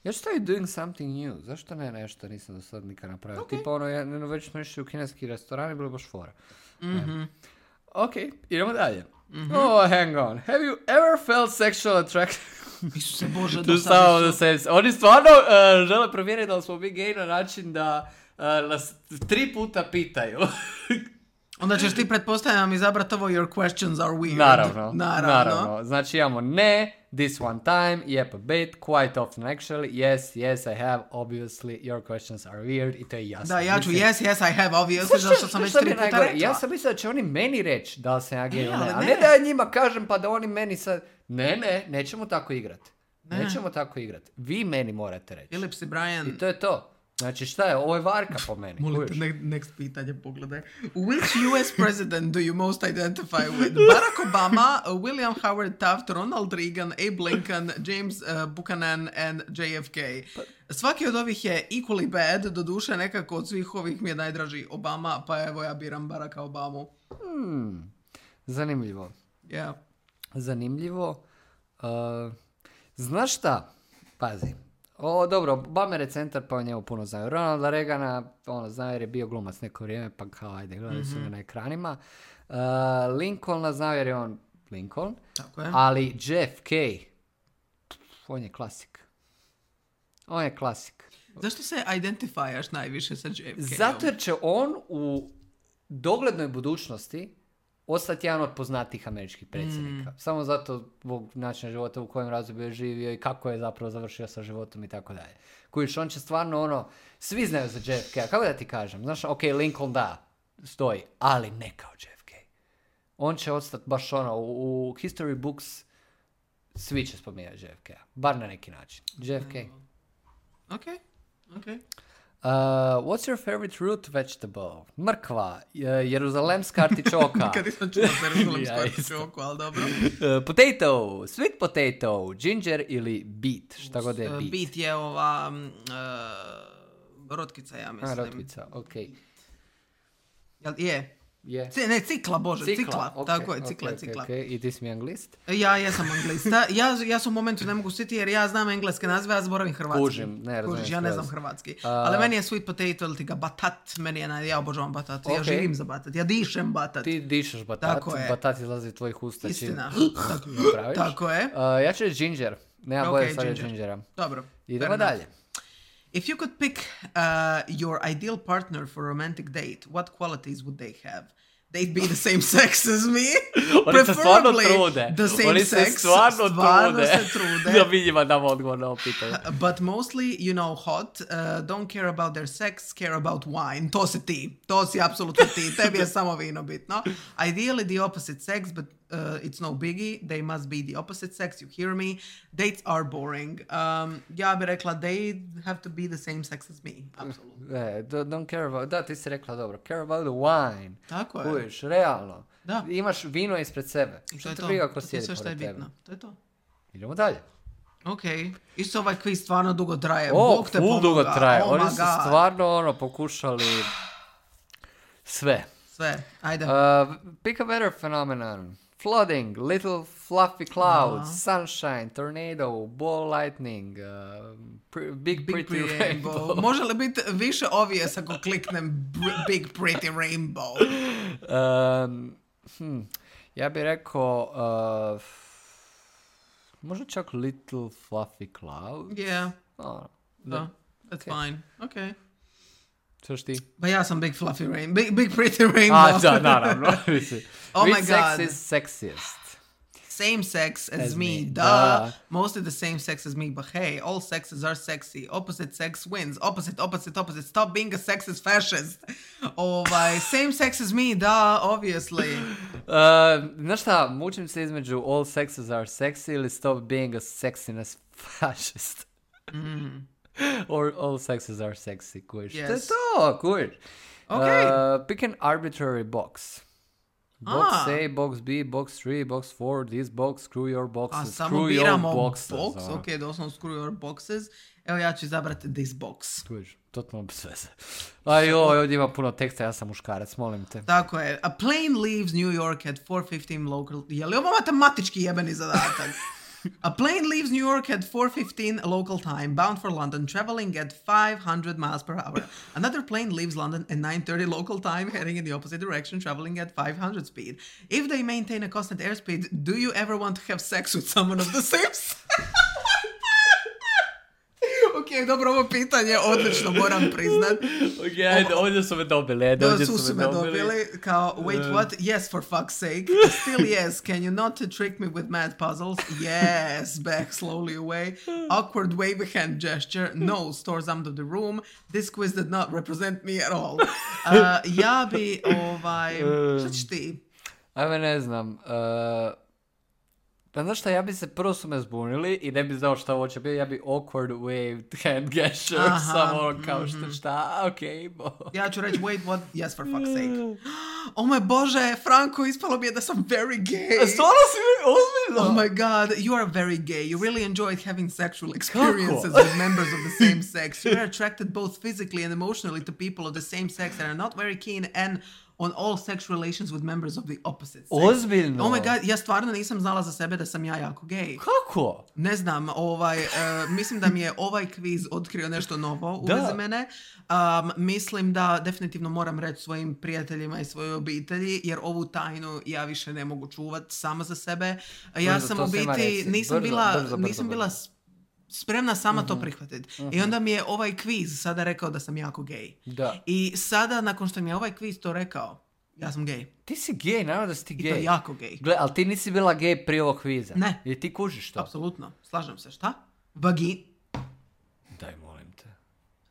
Ja ću staviti doing something new. Zašto ne nešto nisam do sad nikad napravio? Okej. Tipa ono, ja, no, već smo išli u kineski restoran i bilo je baš fora. Mhm. Ok, idemo dalje. Oh, hang on. Have you ever felt sexual attraction Isuse Bože, to do some sad of the nisu- sex? Oni stvarno uh, žele provjeriti da li smo mi gej na način da uh, nas tri puta pitaju. Onda ćeš ti pretpostavljam izabrati ovo your questions are weird. Naravno, Naravno. naravno. Znači imamo ne, this one time, yep a bit, quite often actually, yes, yes I have, obviously, your questions are weird i to je jasno. Da, ja ću Mislim, yes, yes, I have, obviously, Znaš zato šta- što sam već šta mi tri je puta najgore? rekla. Ja sam mislio da će oni meni reći da li sam ja gej Ne, ili ne, ali a ne ne. da ja njima kažem pa da oni meni sad... Ne, ne, nećemo tako igrat. Ne. Nećemo tako igrat. Vi meni morate reći. Philips i Brian, I to je to. Znači šta je, ovo je varka po meni. molim te, kužiš? ne- next pitanje pogledaj. Which U S president do you most identify with? Barack Obama, William Howard Taft, Ronald Reagan, Abe Lincoln, James uh, Buchanan and J F K. Svaki od ovih je equally bad, doduše nekako od svih ovih mi je najdraži Obama, pa evo ja biram Baracka Obamu. Hmm, zanimljivo. Yeah. Zanimljivo. Uh, znaš šta? Pazi. O, dobro, Bamer je centar, pa o njemu puno znaju. Ronalda Reagana, ono, znaju jer je bio glumac neko vrijeme, pa kao, ajde, gledali su ga na ekranima. Uh, Lincolna znaju jer je on Lincoln, Tako je. ali J F K, pff, on je klasik. On je klasik. Zašto se identifikaš najviše sa J F K-om? Zato jer će on u doglednoj budućnosti ostati jedan od poznatijih američkih predsjednika. Mm. Samo zato zbog načina života u kojem razdoblju je živio i kako je zapravo završio sa životom i tako dalje. Kojiš, on će stvarno ono, svi znaju za J F K, kako da ti kažem, znaš, ok, Lincoln da, stoji, ali ne kao J F K. On će ostati baš ono, u, u history books svi će spominjati J F K, bar na neki način. J F K. Ok, ok. Uh, what's your favorite root vegetable? Mrkva, uh, jeruzalemska artičoka. Kad nisam čula za Jeruzalemsku Ja isto. artičoku, ali dobro. Uh, potato, sweet potato, ginger ili beet, šta god je Uh, beet. Beet je ova um, uh, rotkica, ja mislim. A, rotkica, ok. Jel, je. Je. C- ne, cikla, bože, cikla. ok, Tako je, ok, cikla, ok, cikla. ok. I ti si mi anglist? Ja jesam anglista. Ja, ja se u momentu ne mogu sjetiti jer ja znam engleske nazive, ja zaboravim hrvatski. Kužim, ne razumijem Kužiš, ja ne skroz. znam hrvatski. A- Ali meni je sweet potato ili ti ga batat, meni je naj... Ja obožavam batat, ja Ok. živim za batat, ja dišem batat. Ti dišeš batat, Tako je. batat izlazi iz tvojih usta. čim Istina. Tako, napraviš. tako je. Uh, ja ću reći ginger. Nema Ok, bolje stvari od ginger. gingera. Dobro. Idemo fair enough. dalje. If you could pick uh, your ideal partner for a romantic date, what qualities would they have? They'd be the same sex as me. Oni se stvarno Preferably trude. The same Oni se sex. stvarno, Stvarno trude. se trude. Da mi njima damo odgovor na ovo pitanje. But mostly, you know, hot, uh, don't care about their sex, care about wine. To si ti. To si apsolutno ti. Tebi je samo vino bitno. Ideally the opposite sex, but uh, it's no biggie. They must be the opposite sex, you hear me. Dates are boring. Um, ja bih rekla, they have to be the same sex as me. Apsolutno. E, do- don't care about... Da, ti si rekla dobro. Care about the wine. Tako je. Kujiš, realno. Da. Imaš vino ispred sebe. To Što je te to. briga ko To je sjedi sve što je pored tebe. bitno. To je to. Idemo dalje. Ok. Isto ovaj quiz stvarno dugo traje. O, Bog te full pomoga. dugo traje. Oh Oni my su God. stvarno ono pokušali sve. Sve. Ajde. Uh, pick a weather phenomenon. Flooding, little fluffy clouds, sunshine, tornado, ball lightning, uh, pr- big, Big pretty, Pretty rainbow. Rainbow. Može li biti više obvious ako kliknem br- Big Pretty Rainbow? um, hm, ja bih rekao uh, možda čak little fluffy cloud. Yeah. Oh, Da. That's Okay. fine. Ok. Što ti? Pa ja sam Big Fluffy Rain. Big, big Pretty Rainbow. A, da, naravno. Mislim. Oh Which my sex God. is sexiest? Same sex as, As me. me. Duh. Duh. Mostly the same sex as me. But hey, all sexes are sexy. Opposite sex wins. Opposite, opposite, opposite. Stop being a sexist fascist. Ovaj, same sex as me. Duh, obviously. Uh, znaš šta, mučim se između all sexes are sexy ili stop being a sexiness fascist. Mm. Or all sexes are sexy, kužiš. To je Yes. to, kužiš. Ok. Uh, pick an arbitrary box. Box A. A, box B, box three, box four, this box, screw your boxes, A screw samo your biramo boxes. box, ono. ok, doslovno screw your boxes. Evo ja ću izabrati this box. Tu vidiš, totalno bez veze. A joj, ovdje ima puno teksta, ja sam muškarac, molim te. Tako je. A plane leaves New York at four fifteen local... Je li ovo matematički jebeni zadatak? A plane leaves New York at four fifteen local time, bound for London, traveling at five hundred miles per hour. Another plane leaves London at nine thirty local time, heading in the opposite direction, traveling at five hundred speed. If they maintain a constant airspeed, do you ever want to have sex with someone of the same sex? Ok, dobro, ovo pitanje odlično, moram priznat. Ok, ajde, ovdje su me dobili, ajde, ovdje su, su me dobili. dobili. Kao, wait, what? Yes, for fuck's sake. Still yes. Can you not trick me with mad puzzles? Yes. Back slowly away. Awkward wave hand gesture. No. Stores under the room. This quiz did not represent me at all. Uh, ja bi, ovaj... Šta ćeš ti? Ajme, ne znam. Uh, pa znaš šta, ja bi se, prvo su me zbunili i ne bi znao šta ovo će biti, ja bi awkward waved hand gesture, Aha, samo ono kao mm-hmm. šta, šta, okej, okay, bo. Ja ću reći, wait, what? Yes, for fuck's sake. Oh moj Bože, Franko, ispalo mi je da sam very gay. Stvarno si mi ozbiljno? Oh my god, you are very gay. You really enjoyed having sexual experiences with members of the same sex. You are attracted both physically and emotionally to people of the same sex and are not very keen and on all sexual relations with members of the opposite sex. Ozbiljno? Oh my god, ja stvarno nisam znala za sebe da sam ja jako gay. Kako? Ne znam, ovaj, uh, mislim da mi je ovaj kviz otkrio nešto novo u vezi mene. Um, mislim da definitivno moram reći svojim prijateljima i svojoj obitelji, jer ovu tajnu ja više ne mogu čuvati sama za sebe. Ja brzo, sam to u biti, nisam brzo, bila, brzo, brzo, nisam brzo. bila spremna sama uh-huh. to prihvatiti. Uh-huh. I onda mi je ovaj kviz sada rekao da sam jako gay. Da. I sada, nakon što mi je ovaj kviz to rekao, ja sam gay. Ti si gay, naravno da si ti I gay. to jako gay. Gle, ali ti nisi bila gay prije ovog kviza. Ne. Jer ti kužiš to. Apsolutno, slažem se. Šta? Vagi... Daj, molim te.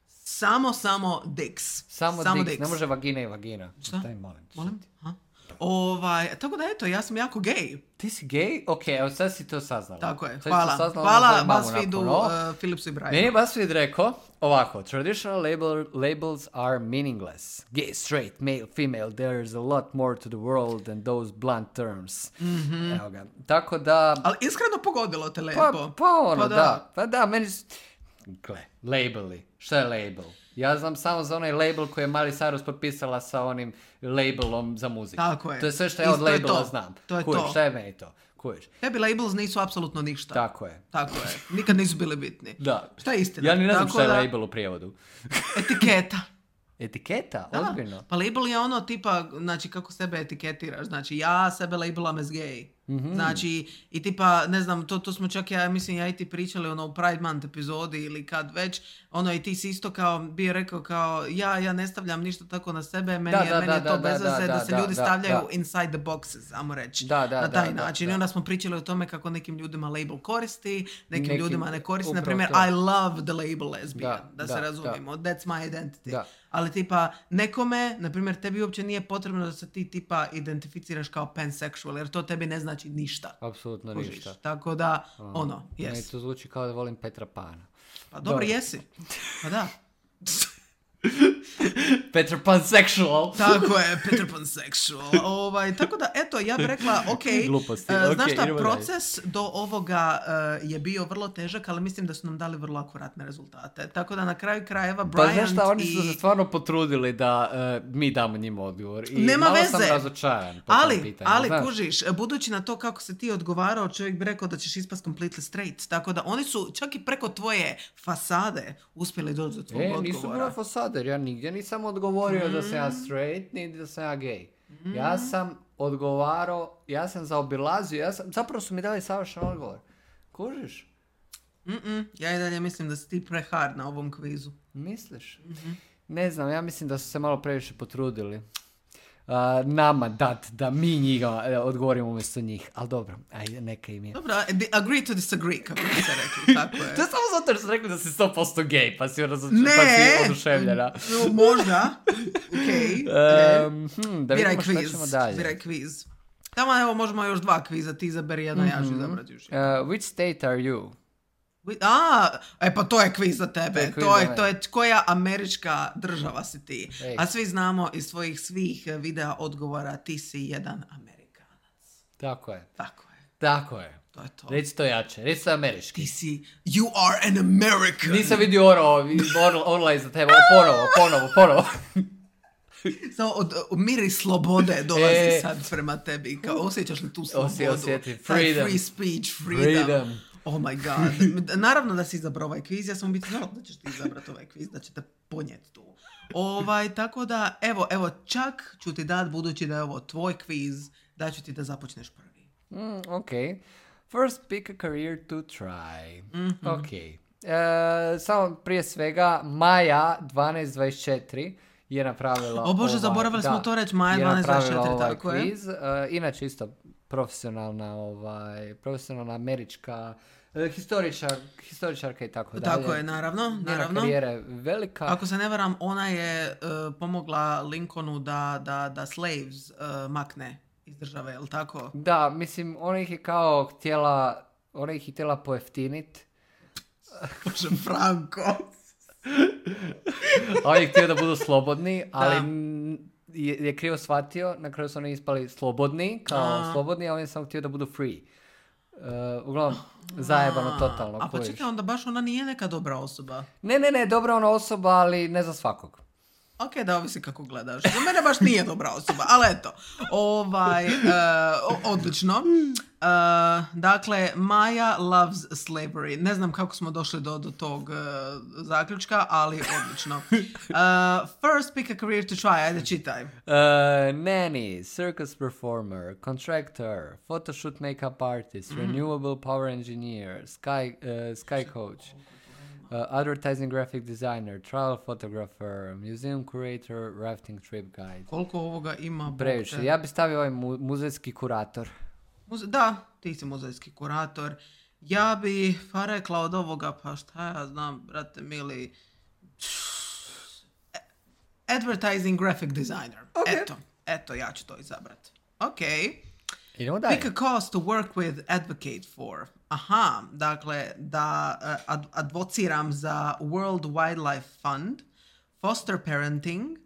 Samo, samo dicks. Samo, samo dicks. dicks. Ne može vagina i vagina. Šta? Daj, molim te. Molim? Ha? Ovaj, tako da eto, ja sam jako gay. Ti si gay? Ok, evo sad si to saznala. Tako je, sad hvala. Saznala, Hvala BuzzFeedu, uh, Philipsu i Brianu. Meni je BuzzFeed rekao ovako, traditional label, labels are meaningless. Gay, straight, male, female, there's a lot more to the world than those blunt terms. Mm-hmm. Evo ga. Tako da... Ali iskreno pogodilo te lepo. Pa, pa ono, pa da. da. Pa da, meni... Gle, labeli. Šta je label? Ja znam samo za onaj label koji je Miley Cyrus potpisala sa onim labelom za muziku. Tako je. To je sve što ja od Isto je labela to. znam. To je Kužiš, to. šta je meni to? Kužiš. Tebi labels nisu apsolutno ništa. Tako je. Tako je. Nikad nisu bili bitni. Da. Šta je istina? Ja ni ne znam Tako šta je da... label u prijevodu. Etiketa. Etiketa? Da. Ozbiljno? Pa label je ono tipa, znači kako sebe etiketiraš. Znači ja sebe labelam as gay. Mm-hmm. Znači i tipa, ne znam, to, to smo čak ja, mislim ja i ti pričali ono u Pride Month epizodi ili kad već, ono i ti si isto kao, bio rekao kao, ja, ja ne stavljam ništa tako na sebe, meni, da, je, da, meni da, je to da, bez da, veze da, da se da, ljudi da, stavljaju da. inside the boxes, ajmo reći, da, da, na taj da, način. da, I da. onda smo pričali o tome kako nekim ljudima label koristi, nekim, Nekim, ljudima ne koristi. Na upravo primjer, to. I love the label lesbian, da, Da, da se da, razumijemo, that's my identity. Da. Ali tipa, nekome, na primjer, tebi uopće nije potrebno da se ti tipa identificiraš kao pansexual, jer to tebi ne znači ništa. Apsolutno Kužiš. ništa. Tako da, A, ono, Meni yes. to zvuči kao da volim Petra Pana. Pa dobro, Dobro. jesi. Pa da. Petra Pansexual. Tako je, Peter Pansexual. Ovaj, tako da, eto, ja bih rekla, ok, Gluposti. uh, Ok, znaš šta, idemo proces do ovoga uh, je bio vrlo težak, ali mislim da su nam dali vrlo akuratne rezultate. Tako da na kraju krajeva Pa Bryant znaš šta, oni su i... se stvarno potrudili da uh, mi damo njima odgovor. I Nema malo veze. sam razočaran po tom Ali, pitanju. ali znaš. kužiš, budući na to kako se ti odgovarao, čovjek bi rekao da ćeš ispast completely straight. Tako da oni su čak i preko tvoje fasade uspjeli doći do tvog E, odgovora. nisu bila fasade, jer ja nigdje nisam odgovorio mm. da sam ja straight, ni da sam ja gay. Mm. Ja sam odgovarao, ja sam zaobilazio, ja sam, zapravo su mi dali savršen odgovor. Kužiš? Mm-mm, ja i dalje mislim da si ti prehard na ovom kvizu. Misliš? Mm-hmm. Ne znam, ja mislim da su se malo previše potrudili. Uh, nama dat da mi njega uh, odgovorimo umjesto njih. Ali dobro, ajde, neka im je. Dobro, agree to disagree, kako bi se rekli, tako je. To je samo zato jer su rekli da si sto posto gay, pa si, razoč... Ne, pa si oduševljena. No, možda, okej. Um, hm, da Biraj vidimo šta kviz, ćemo dalje. biraj kviz. Tamo evo možemo još dva kviza, ti izaberi jedno, mm-hmm. ja ću izabrati još jedno. Uh, which state are you? A, e pa to je kviz za tebe. To je kviz To za je, mene. to je koja američka država si ti. Ej. A svi znamo iz svojih svih videa odgovora ti si jedan Amerikanac. Tako je. Tako je. Tako je. To je to. Reci to jače. Reci to američki. Ti si, you are an American. Nisam vidio oro, orla, orla iza tebe. Ponovo, ponovo, ponovo. Samo od, od miris slobode dolazi E. sad prema tebi. Kao, osjećaš li tu slobodu? Osje- osjetim. Taj Freedom. free speech, freedom. Freedom. Oh my god. Naravno da si izabrao ovaj kviz. Ja sam u biti znala da ćeš ti izabrati ovaj kviz, da će te ponijeti tu. Ovaj, tako da, evo, evo, čak ću ti dat, budući da je ovo tvoj kviz, da ću ti da započneš prvi. Mm, ok. First pick a career to try. Mhm. Ok. E, samo prije svega, Maja dvanaest dvadeset četiri je napravila... O Bože, ovaj, zaboravili da, smo to reći, Maja je dvanaest dvadeset četiri, napravila ovaj tako je. kviz. E, inače isto profesionalna, ovaj, profesionalna američka e, historičar, historičarka i tako dalje. Tako je, naravno, Njena naravno. karijera je velika. Ako se ne varam, ona je uh, pomogla Lincolnu da, da, da slaves uh, makne iz države, jel tako? Da, mislim, ona ih je kao htjela, ona ih je htjela pojeftinit. Bože, Franko. A on je htio da budu slobodni, ali Da. n- je, je krivo shvatio, na kraju su oni ispali slobodni, kao A. slobodni, a on je samo htio da budu free. Uh, uglavnom, zajebano totalno. A pa kužiš. čekaj, onda baš ona nije neka dobra osoba. Ne, ne, ne, dobra ona osoba, ali ne za svakog. Ok, da ovisi kako gledaš. Za mene baš nije dobra osoba, ali eto. Ovaj, uh, o- odlično. Uh, dakle, Maja loves slavery. Ne znam kako smo došli do, do tog uh, zaključka, ali odlično. Uh, first pick a career to try. Ajde, čitaj. Uh, nanny, circus performer, contractor, photoshoot makeup artist, renewable power engineer, sky, uh, sky coach, uh, advertising graphic designer, travel photographer, museum curator, rafting trip guide. Koliko ovoga ima? Bog Previše. te. Ja bi stavio ovaj mu- muzejski kurator. Muze- da, ti si muzejski kurator. Ja bi pa rekla od ovoga, pa šta ja znam, brate mili, advertising graphic designer. Ok. Eto, eto, ja ću to izabrati. Ok. Idemo dalje. Pick a cause to work with, advocate for. Aha, dakle, da uh, ad- advociram za World Wildlife Fund, foster parenting,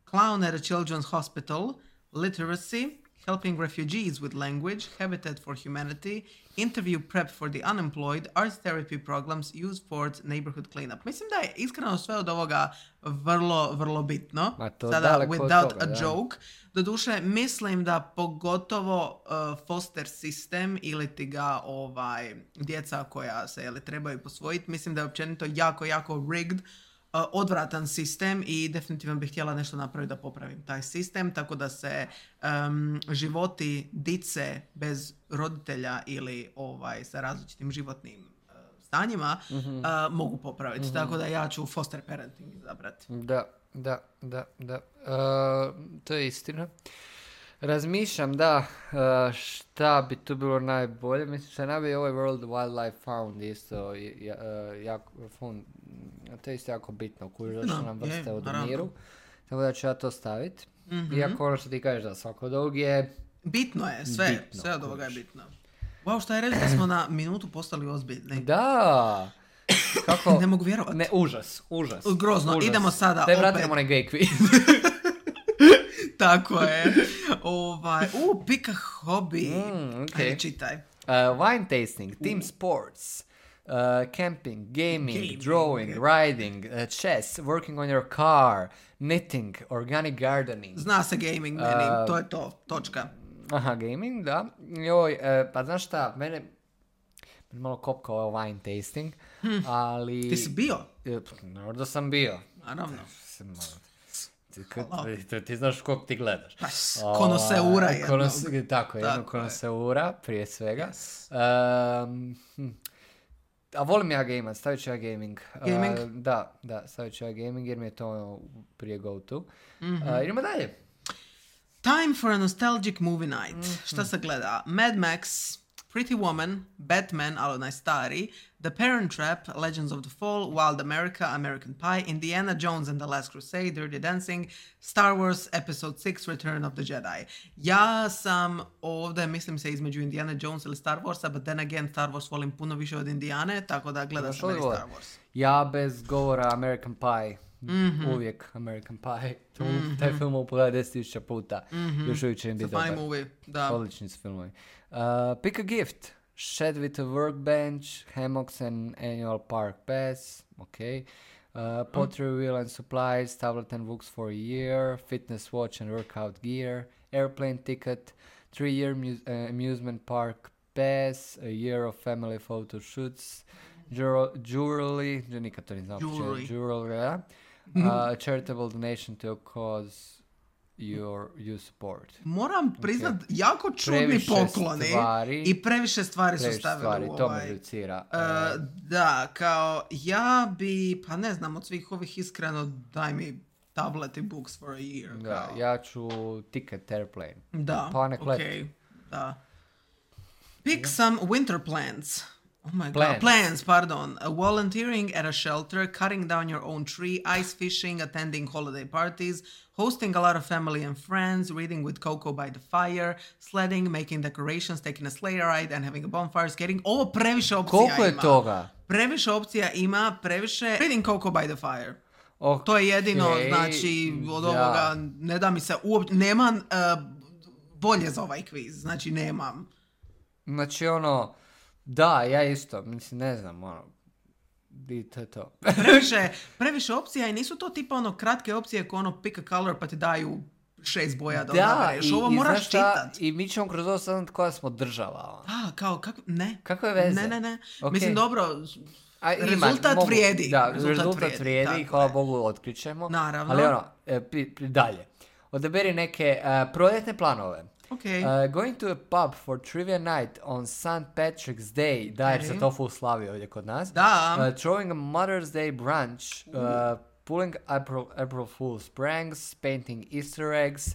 clown at a children's hospital, literacy, helping refugees with language, Habitat for Humanity, interview prep for the unemployed, art therapy programs, youth sports, neighborhood cleanup. Mislim da je iskreno sve od ovoga vrlo, vrlo bitno. Ma to Sada, daleko od without toga, a da. joke. Doduše, mislim da pogotovo uh, foster sistem ili ti ga ovaj, djeca koja se jeli, trebaju posvojiti, mislim da je općenito jako, jako rigged, uh, odvratan sistem i definitivno bih htjela nešto napraviti da popravim taj sistem, tako da se um, životi dice bez roditelja ili ovaj, sa različitim životnim uh, stanjima Mhm. uh, mogu popraviti. Tako da ja ću foster parenting izabrati. Da, da, da, da. Uh, to je istina. Razmišljam da uh, šta bi tu bilo najbolje. Mislim što je najbolje ovaj World Wildlife Fund isto ja, uh, jako, fund, to je isto jako bitno. Kuži da No, nam je, vrste od naravno. miru. Tako da ću ja to staviti. Mhm. Iako ono što ti kažeš da svako od ovog je... Bitno je, sve, Bitno, sve od ovoga je kužiš. bitno. Wow, šta je reći da smo na minutu postali ozbiljni? Da! Kako? Ne mogu vjerovati. Ne, užas, užas. Grozno, užas. idemo sada Daj opet. vratimo onaj gay quiz. Tako je. Ovaj, u, pika hobi. Mm, ok. Ajde, čitaj. Uh, wine tasting, team sports, uh, camping, gaming, Gaming. drawing, riding, uh, chess, working on your car, knitting, organic gardening. Zna se gaming meni, A, to je to, točka. Aha, gaming, da. Joj, uh, pa znaš šta, mene, mene malo kopka ovaj wine tasting, ali... Ti si bio? E, pa, naravno da sam bio. Naravno. Sam malo- Ti, kad- ti, ti znaš kog ti gledaš. Pa, konoseura Ovaj, jednog. konos- Tako, jednog Tako je. konoseura, prije svega. Yes. Um, hm. A volim ja gamat, stavit ću ja gaming. Gaming? Uh, da, da, stavit ću ja gaming jer mi je to ono prije go-to. Mhm. Uh, idemo dalje. Time for a nostalgic movie night. Šta se gleda? Mad Max, Pretty Woman, Batman, ali onaj stari, The Parent Trap, Legends of the Fall, Wild America, American Pie, Indiana Jones and the Last Crusade, Dirty Dancing, Star Wars Episode six, Return of the Jedi. Ja sam ovdje, mislim se između Indiana Jones ili Star Warsa, but then again Star Wars volim puno više od Indijane, tako da gledam sam meni Star Wars. Ja bez govora American Pie. Mm-hmm. Uvijek American Pie. Mm-hmm. Taj film mogu pogledati deset tisuća puta. Mm-hmm. Još uvijek će im biti dobar. Movie. Da. Odlični su filmovi. Uh, pick a gift. Shed with a workbench, hammocks and annual park pass. Okay. Uh, pottery mm. wheel and supplies, tablet and books for a year, fitness watch and workout gear, airplane ticket, three-year mu- uh, amusement park pass, a year of family photo shoots, jewel- jewelry, nikad to nisam jewelry, jewelry, yeah? uh, charitable donation to a cause your, you support. Moram priznat, okay. jako čudni previše pokloni stvari, i previše stvari previše su stavili stvari, u ovaj. To me reducira. Uh, da, kao ja bi, pa ne znam, od svih ovih iskreno daj mi tablet i books for a year. Da, kao. ja ću ticket airplane. Da, pa nek let. Okay, da. Pick yeah. some winter plants. Oh my plans. god. Plans, pardon. Uh, volunteering at a shelter, cutting down your own tree, ice fishing, attending holiday parties, hosting a lot of family and friends, reading with Coco by the fire, sledding, making decorations, taking a sleigh ride and having a bonfire, skating. Ovo previše opcija ima. Koliko je toga? Previše opcija ima, previše... Reading Coco by the fire. Okay. To je jedino, znači, od ovoga, ne da mi se uopće... Nemam uh, bolje za ovaj kviz, znači nemam. Znači ono... Da, ja isto, mislim, ne znam, ono, i to je to. previše, previše opcija i nisu to tipa ono kratke opcije ko ono pick a color pa ti daju šest boja da, da odabereš. Ovo i, moraš čitat. I mi ćemo kroz ovo saznat koja smo država. Da, kao, kako, ne. Kako je veze? Ne, ne, ne. Okay. Mislim, dobro, A, ima, rezultat mogu, vrijedi. Da, rezultat, rezultat vrijedi, vrijedi hvala Bogu otkrićemo. Naravno. Ali ono, e, pri, pri, dalje. Odaberi neke uh, proljetne planove. Okay. Uh, going to a pub for trivia night on Saint Patrick's Day. Da, jer se to full slavi ovdje kod nas. Da. Uh, throwing a Mother's Day brunch. Uh, pulling April, April Fool's pranks. Painting Easter eggs.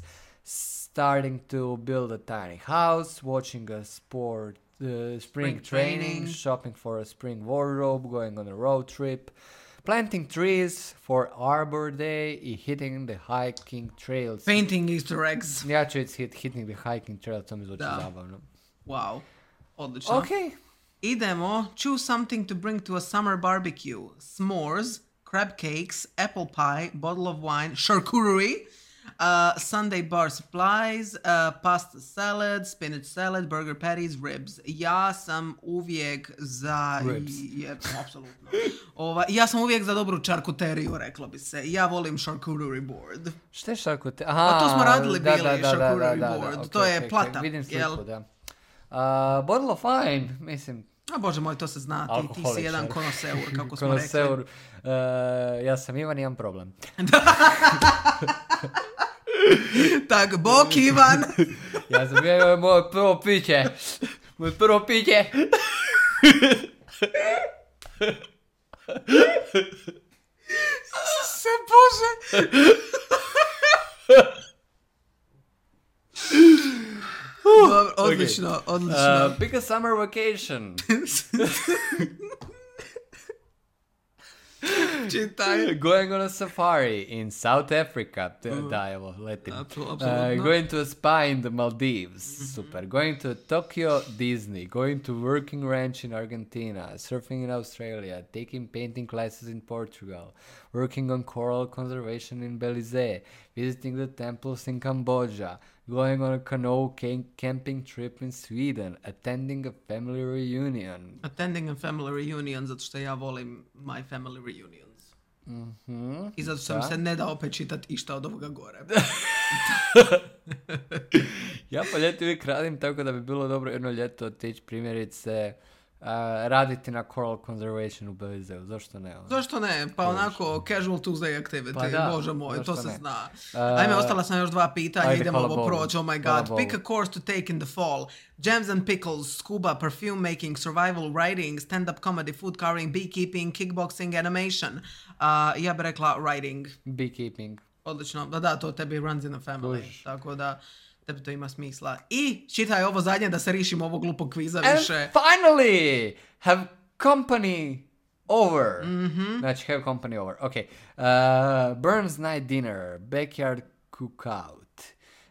Starting to build a tiny house. Watching a sport uh, spring, spring training, training. Shopping for a spring wardrobe. Going on a road trip. Planting trees for Arbor Day i hitting the hiking trails. Painting Easter eggs. Ja ću hit, hitting the hiking trails, to mi zvuči zabavno. Wow, odlično. Ok. Idemo, choose something to bring to a summer barbecue. S'mores, crab cakes, apple pie, bottle of wine, charcuterie, uh, Sunday bar supplies, uh, pasta salad, spinach salad, burger patties, ribs. Ja sam uvijek za... Ribs. Je, apsolutno. Ova, ja sam uvijek za dobru čarkuteriju, reklo bi se. Ja volim charcuterie board. Šta je charcuterie? Aha, pa to smo radili da, bili, da, da, charcuterie da, da, board. da, okay, to je okay, plata. Okay. Vidim sliku, jel? da. Uh, bottle of wine, mislim... A bože moj, to se zna. Ti, ti si jedan konoseur, kako smo rekli. Konoseur. Uh, ja sam Ivan, imam problem. Tak, bok Ivan. Ja sam bio moje prvo piće. Moje prvo piće. Se bože. Dobro, odlično, okay. odlično. Uh, pick a summer vacation. Čitaj. Going on a safari in South Africa. Uh, da, evo, letim. Absolutno. Uh, going to a spa in the Maldives. Mm-hmm. Super. Going to Tokyo Disney. Going to working ranch in Argentina. Surfing in Australia. Taking painting classes in Portugal. Working on coral conservation in Belize. Visiting the temples in Cambodia. Going on a canoe camping trip in Sweden. Attending a family reunion. Attending a family reunion, zato što ja volim my family reunions. Mm-hmm. I zato sam se ne da opet čitati išta od ovoga gore. Ja po ljeti uvijek radim tako da bi bilo dobro jedno ljeto otići primjerice uh, raditi na coral conservation u Belizeu. Zašto ne? Ono? Zašto ne? Pa Bož. Onako casual Tuesday activity. Pa da, Bože moj, to se ne? zna. Uh, Ajme, ostala sam još dva pitanja. Ajde, idemo ovo proći. Oh my god. Bogu. Pick a course to take in the fall. Jams and pickles, scuba, perfume making, survival writing, stand-up comedy, food coloring, beekeeping, kickboxing, animation. Uh, ja bih rekla writing. Beekeeping. Odlično. Da, da, to tebi runs in a family. Uš. Tako da... tebi to ima smisla. I čitaj ovo zadnje da se rišimo ovog glupog kviza And više. finally, have company over. Mm-hmm. Znači, have company over. Ok. Uh, Burns night dinner, backyard cookout,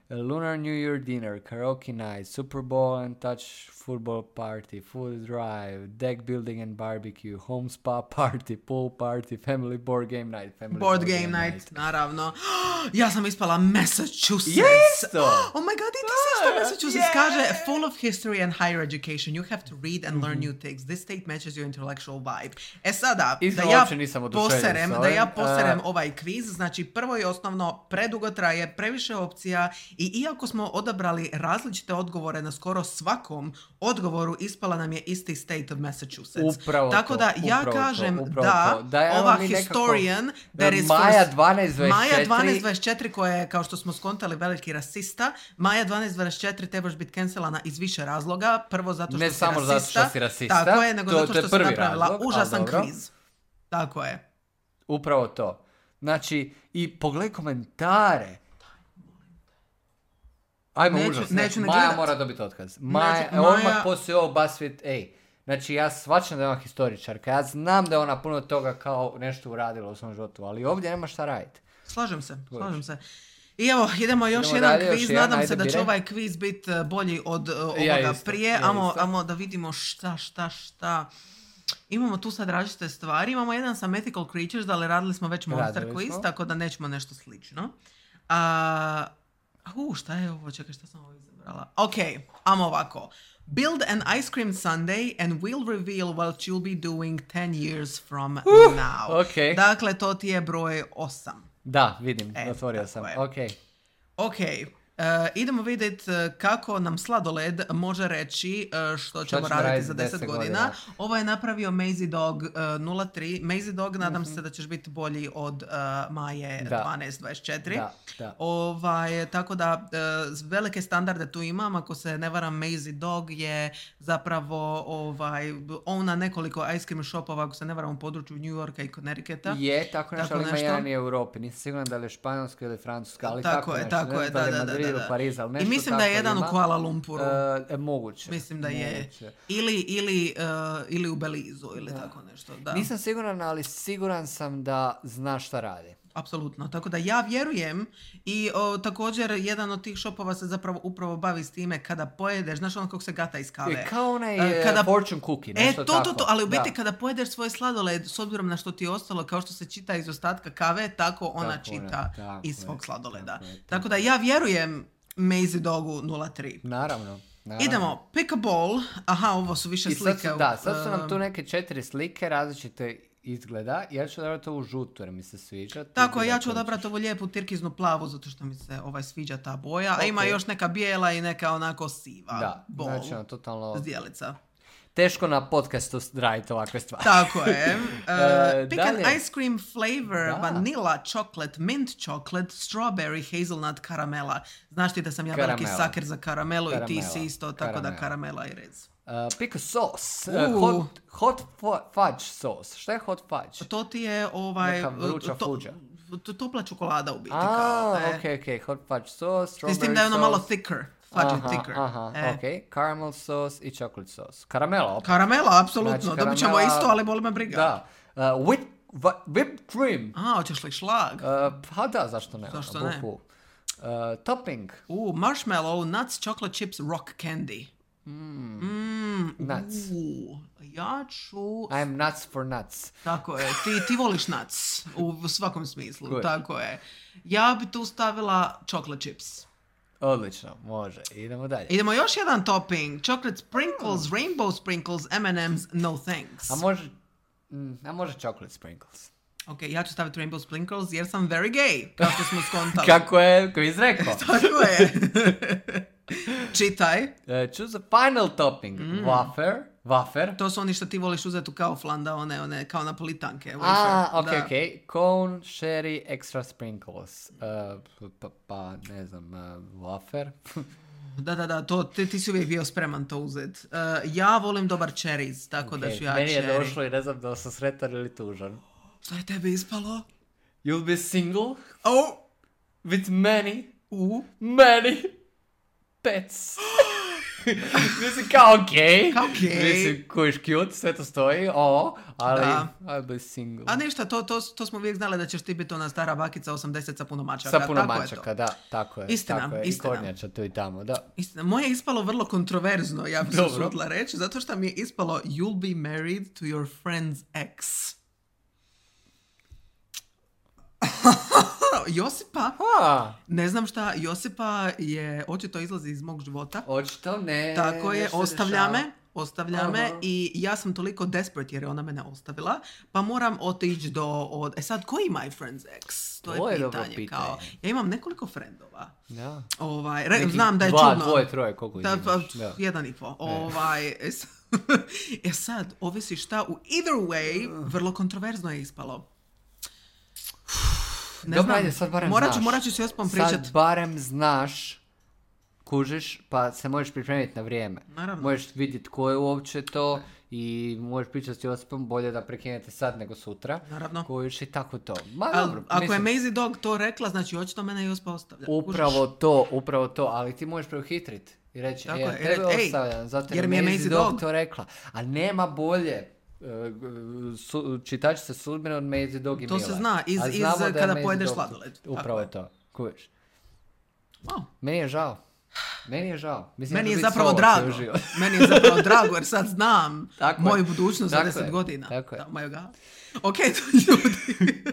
lunar new year dinner, karaoke night, Super Bowl and touch football party, food drive, deck building and barbecue, home spa party, pool party, family board game night, family Board game night, naravno. Ja sam ispala Massachusetts. Jesto! Oh my god, i ti si isto Massachusetts. Kaže, full of history and higher education. You have to read and learn new things. This state matches your intellectual vibe. E sada, Iskreno, da ja uopće nisam oduševljen poserem, s da ovim. ja poserem Uh, ovaj kviz, znači prvo i osnovno, predugo traje, previše opcija i iako smo odabrali različite odgovore na skoro svakom odgovoru, ispala nam je isti state of Massachusetts. Upravo Tako to, da ja upravo kažem to, upravo da, to. Da, evo ova mi nekako- historian that is Maja first- dvanaest dvadeset četiri. Maja dvanaest dvadeset četiri koja je, kao što smo skontali, veliki rasista. Maja dvanaest dvadeset četiri trebaš biti cancelana iz više razloga. Prvo zato što Ne si samo rasista. zato što si rasista, Tako je, nego to- zato to je što si prvi napravila razlog, ali užasan dobro. kviz. Tako je. Upravo to. Znači, i pogledaj komentare. Ajmo, Neću- užas. ne. neću ne Maja gledat. mora dobiti otkaz. Maja, Neću- evo odmah Maja- poslije ovo BuzzFeed, ej. Znači, ja svačam da je ona historičarka. Ja znam da je ona puno toga kao nešto uradila u svom životu, ali ovdje nema šta raditi. Slažem se, slažem se. I evo, idemo još Idemo jedan dalje, još kviz. jedan, Nadam se ajde, da će biraj. ovaj kviz biti uh, bolji od uh, ovoga Ja isto, prije. ja Amo, isto. amo da vidimo šta, šta, šta. Imamo tu sad različite stvari. Imamo jedan sa Mythical Creatures, ali radili smo već Monster Radili Quiz, smo. tako da nećemo nešto slično. A, uh, šta je ovo? Čekaj, šta sam ovo izabrala? Ok, amo ovako. Build an ice cream sundae and we'll reveal what you'll be doing ten years from now. ok. Dakle, to ti je broj osam. Da, vidim, E, otvorio tako sam. je. Ok. Ok, uh, idemo vidjeti kako nam sladoled može reći uh, što ćemo ćemo raditi raditi za za deset deset godina. godina. Ovo je napravio Mazy Dog uh, nula tri. Mazy Dog, nadam Mhm. se da ćeš biti bolji od uh, Maje Da. dvanaest dvadeset četiri. Da, da. Ovaj, tako da uh, velike standarde tu imam. Ako se ne varam, Mazy Dog je zapravo ovaj, on na nekoliko ice cream shopova, ako se ne varam, u području New Yorka i Connecticuta. Je, tako nešto, Tako ali ima nešto. jedan i u Europi. Nisam siguran da li je Španjolska ili Francuska, ali tako, Tako je, nešto. tako Ne je, znam da, li je da, da, Madrid da, ili da. Pariz, ali I nešto mislim da je tako jedan ima. u Kuala Lumpuru. E, e, moguće. Mislim da je. Moguće. Ili, ili, uh, ili u Belizu ili tako nešto. Da. Nisam siguran, ali siguran sam da zna šta radi. Apsolutno. Tako da ja vjerujem i o, također jedan od tih shopova se zapravo upravo bavi s time kada pojedeš, znaš ono kako se gata iz kave. Je kao onaj E, kada, fortune cookie, E, nešto to, tako. to, to, ali u biti Da. kada pojedeš svoj sladoled, s obzirom na što ti je ostalo, kao što se čita iz ostatka kave, tako ona Tako je, čita tako iz je, svog sladoleda. tako je, tako Tako da ja vjerujem Mazy Dogu nula tri. Naravno. naravno. Idemo, pick a ball. Aha, ovo su više I sad slike. su, da, sad su nam um, tu neke četiri slike različite izgleda. Ja ću odabrati ovu žutu jer mi se sviđa. Ti Tako je, biraj ja ću koju odabrati ćeš. ovu lijepu tirkiznu plavu zato što mi se ovaj sviđa ta boja, a ima Ok. još neka bijela i neka onako siva Da, bol, znači ono, totalno zdjelica. teško na podcastu raditi ovakve stvari. Tako je. Uh, E, pick an dalje. ice cream flavor, Da. vanilla, chocolate, mint chocolate, strawberry, hazelnut, karamela. Znaš ti da sam ja veliki Karamela. saker za karamelu i ti Karamela. si isto, tako da Karamela. karamela i rez. Uh, pick a sauce. Uh. Uh, hot, hot fu- fudge sauce. Šta je hot fudge? To ti je ovaj... Neka vruća to- fuđa. to- Topla čokolada u biti. A, kao, e. ok, ok. Hot fudge sauce, strawberry S tim da je ono malo sauce. thicker. Fudge Aha, thicker. aha, E. ok. Caramel sauce i chocolate sauce. Karamela opet. Karamela, apsolutno. Znači, Dobit ćemo karamela- isto, ali boli me briga. Da. Uh, whip, va- whipped cream. A, hoćeš li šlag? Uh, pa da, zašto ne? Zašto ono, ne? buhu. Uh, topping. U, marshmallow, nuts, chocolate chips, rock candy. Mm. Nuts. U, ja ću... I'm nuts for nuts. Tako je, ti, ti voliš nuts u svakom smislu, Good. tako je. Ja bi tu stavila chocolate chips. Odlično, može. Idemo dalje. Idemo još jedan topping. Chocolate sprinkles, rainbow sprinkles, M and M's, no thanks. A može... Mm, a može chocolate sprinkles. Ok, ja ću staviti rainbow sprinkles jer sam very gay, kao što smo skontali. Kako je, ko je izrekao. Tako je. Čitaj. Uh, choose a final topping. Mm. Wafer. Wafer. To su oni što ti voliš uzeti u Kauflanda, one, one kao napolitanke. A, wafer. ok, Da. ok. Cone, sherry, extra sprinkles. Uh, pa, pa, ne znam, uh, wafer. Da, da, da, to, ti, ti si uvijek bio spreman to uzeti. Uh, ja volim dobar cherries, tako da Ok, ću ja meni je cherry. došlo i ne znam da li sam sretan ili tužan. Šta je tebi ispalo? You'll be single Oh! with many, U? many pets. Mislim, kao okej. Kao okej. Mislim, kojiš cute, sve to stoji, o, ali Da. I'll be single. A ništa, to, to, to smo uvijek znali da ćeš ti biti ona stara bakica osamdeset sa puno mačaka. Sa puno tako je mačaka, to. da, tako je. Istina, tako je. istina. I kornjača tu i tamo, da. Istina, moje je ispalo vrlo kontroverzno, ja bih se Dobro. usudila reći, zato što mi je ispalo you'll be married to your friend's ex. Josipa, A, ne znam šta, Josipa je, očito izlazi iz mog života. očito ne. Tako je, nešto se ostavlja dešava. me, ostavlja me Aha. i ja sam toliko desperate jer je ona mene ostavila, pa moram otići do, od, e sad, koji je my friend's ex? To, To je je dobro pitanje, pitanje. kao, ja imam nekoliko frendova, Da. ovaj, re, Nekih znam da je dva, čudno. dvoje, troje, koliko ih Da, pa, imaš. Da. jedan i po. Ovaj, e, s- e sad, ovisi šta, u either way, vrlo kontroverzno je ispalo. Ne Dobro, znam, ajde, sad barem morat ću, znaš. morat ću s Josipom pričat. Sad barem znaš, kužiš, pa se možeš pripremiti na vrijeme. Naravno. Možeš vidjeti ko je uopće to i možeš pričati s Josipom, bolje da prekinete sad nego sutra. Naravno. Kužiš i tako to. Ma Al, dobro, ako mislim, je Maisie Dog to rekla, znači očito mene Josipa ostavlja. upravo Kužiš? to, upravo to, ali ti možeš preuhitriti i reći, Tako e, je, tebe ej, ostavljam, zato jer jer mi je Maisie Maisie Dog Dog. to rekla. A nema bolje e, su, čitačice sudbine od Maisie Dog i To Mila. se zna iz- A iz znamo da je kada Maisie pojedeš Dog- sladoled. Tako Upravo je. je to, kužiš. Wow. Meni je žao. Meni je žao. Mislim, Meni da je ću biti zapravo solo drago. cijeli život. Meni je zapravo drago jer sad znam Tako je. moju budućnost za Tako deset je. godina. Tako je. Da, my God. Ok, ljudi.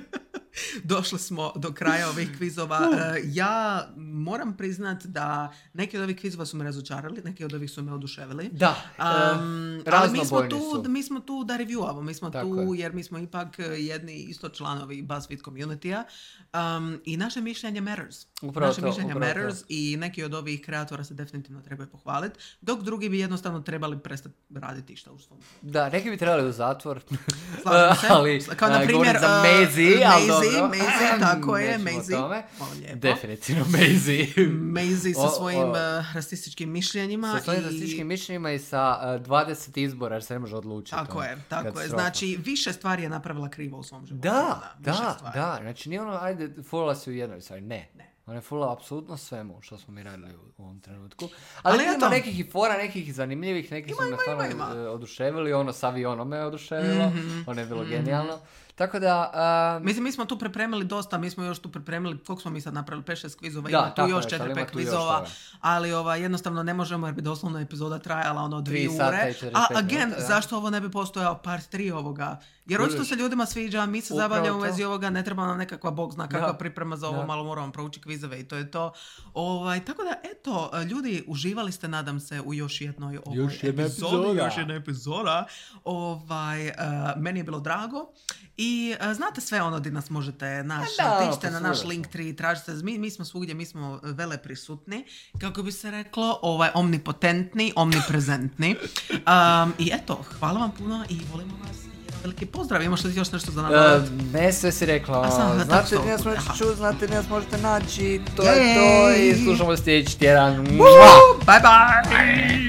Došli smo do kraja ovih kvizova. E, ja moram priznat da neki od ovih kvizova su me razočarali, neki od ovih su me oduševili. Da, Um, e, ali mi smo, raznobojni tu, su. mi smo tu da reviewamo, mi smo Tako tu je. jer mi smo ipak jedni isto članovi BuzzFeed community-a um, i naše mišljenje matters. Upravo naše to, mišljenje upravo matters to. i neki od ovih kreatora se definitivno trebaju pohvaliti, dok drugi bi jednostavno trebali prestati raditi išta u svom. Da, neki bi trebali u zatvor. Slažem se. ali, Kao na a, primjer, govorim za uh, Maisie, ali Maisie, dobro. Maisie, tako je, Nećemo o Maisie. tome. Hvala lijepo. Definitivno Maisie. Maisie sa O, svojim o. uh, rasističkim mišljenjima. Sa svojim i- rasističkim mišljenjima i sa uh, dvadeset izbora, jer se ne može odlučiti. Tako ono, je, tako je. katastrofa. Znači, više stvari je napravila krivo u svom životu. Da, više da, stvari. da. Znači nije ono, ajde, fulala si u jednoj stvari. Ne. Ne. Ona je fulala apsolutno svemu što smo mi radili u, u ovom trenutku. Ali Ali, ima eto. nekih i fora, nekih i zanimljivih, neki su me stvarno ima, ima. e, oduševili. Ono s avionom me oduševilo. Mhm, Ono je bilo genijalno. Tako da... a, Mislim, mi smo tu pripremili dosta, mi smo još tu pripremili, koliko smo mi sad napravili, pet šest kvizova, Da, ima tu tako još je, četiri ali ima pet tu još kvizova, toga. ali ova, jednostavno ne možemo jer bi doslovno epizoda trajala ono dvije Tri sata ure. i četrdeset A pet again, minuta, da. zašto ovo ne bi postojao part tri ovoga? Jer Kužiš. očito se ljudima sviđa, mi se Upravo zabavljamo u to. vezi ovoga, ne treba nam nekakva bog zna kakva Da. priprema za ovo, Da. malo moramo proučiti kvizove i to je to. Ovaj, tako da, eto, ljudi, uživali ste, nadam se, u još jednoj ovoj Još jedna epizodi, epizoda. još jedna epizoda. Ovaj, uh, meni je bilo drago. I uh, znate sve ono di nas možete naći. Da, Tičite na naš posvuda link smo. tri, tražite. Mi, mi smo svugdje, mi smo vele prisutni. Kako bi se reklo, ovaj, omnipotentni, omniprezentni. Um, I eto, hvala vam puno i volimo vas. Jedan veliki pozdrav. Imaš li još nešto za E, nadavati? ne, sve si rekla. A sam, da, Znate, tako nas što- možete aha. čuti, znate, nas možete naći. To Jej. je to i slušamo sljedeći tjedan. Woo! Bye bye!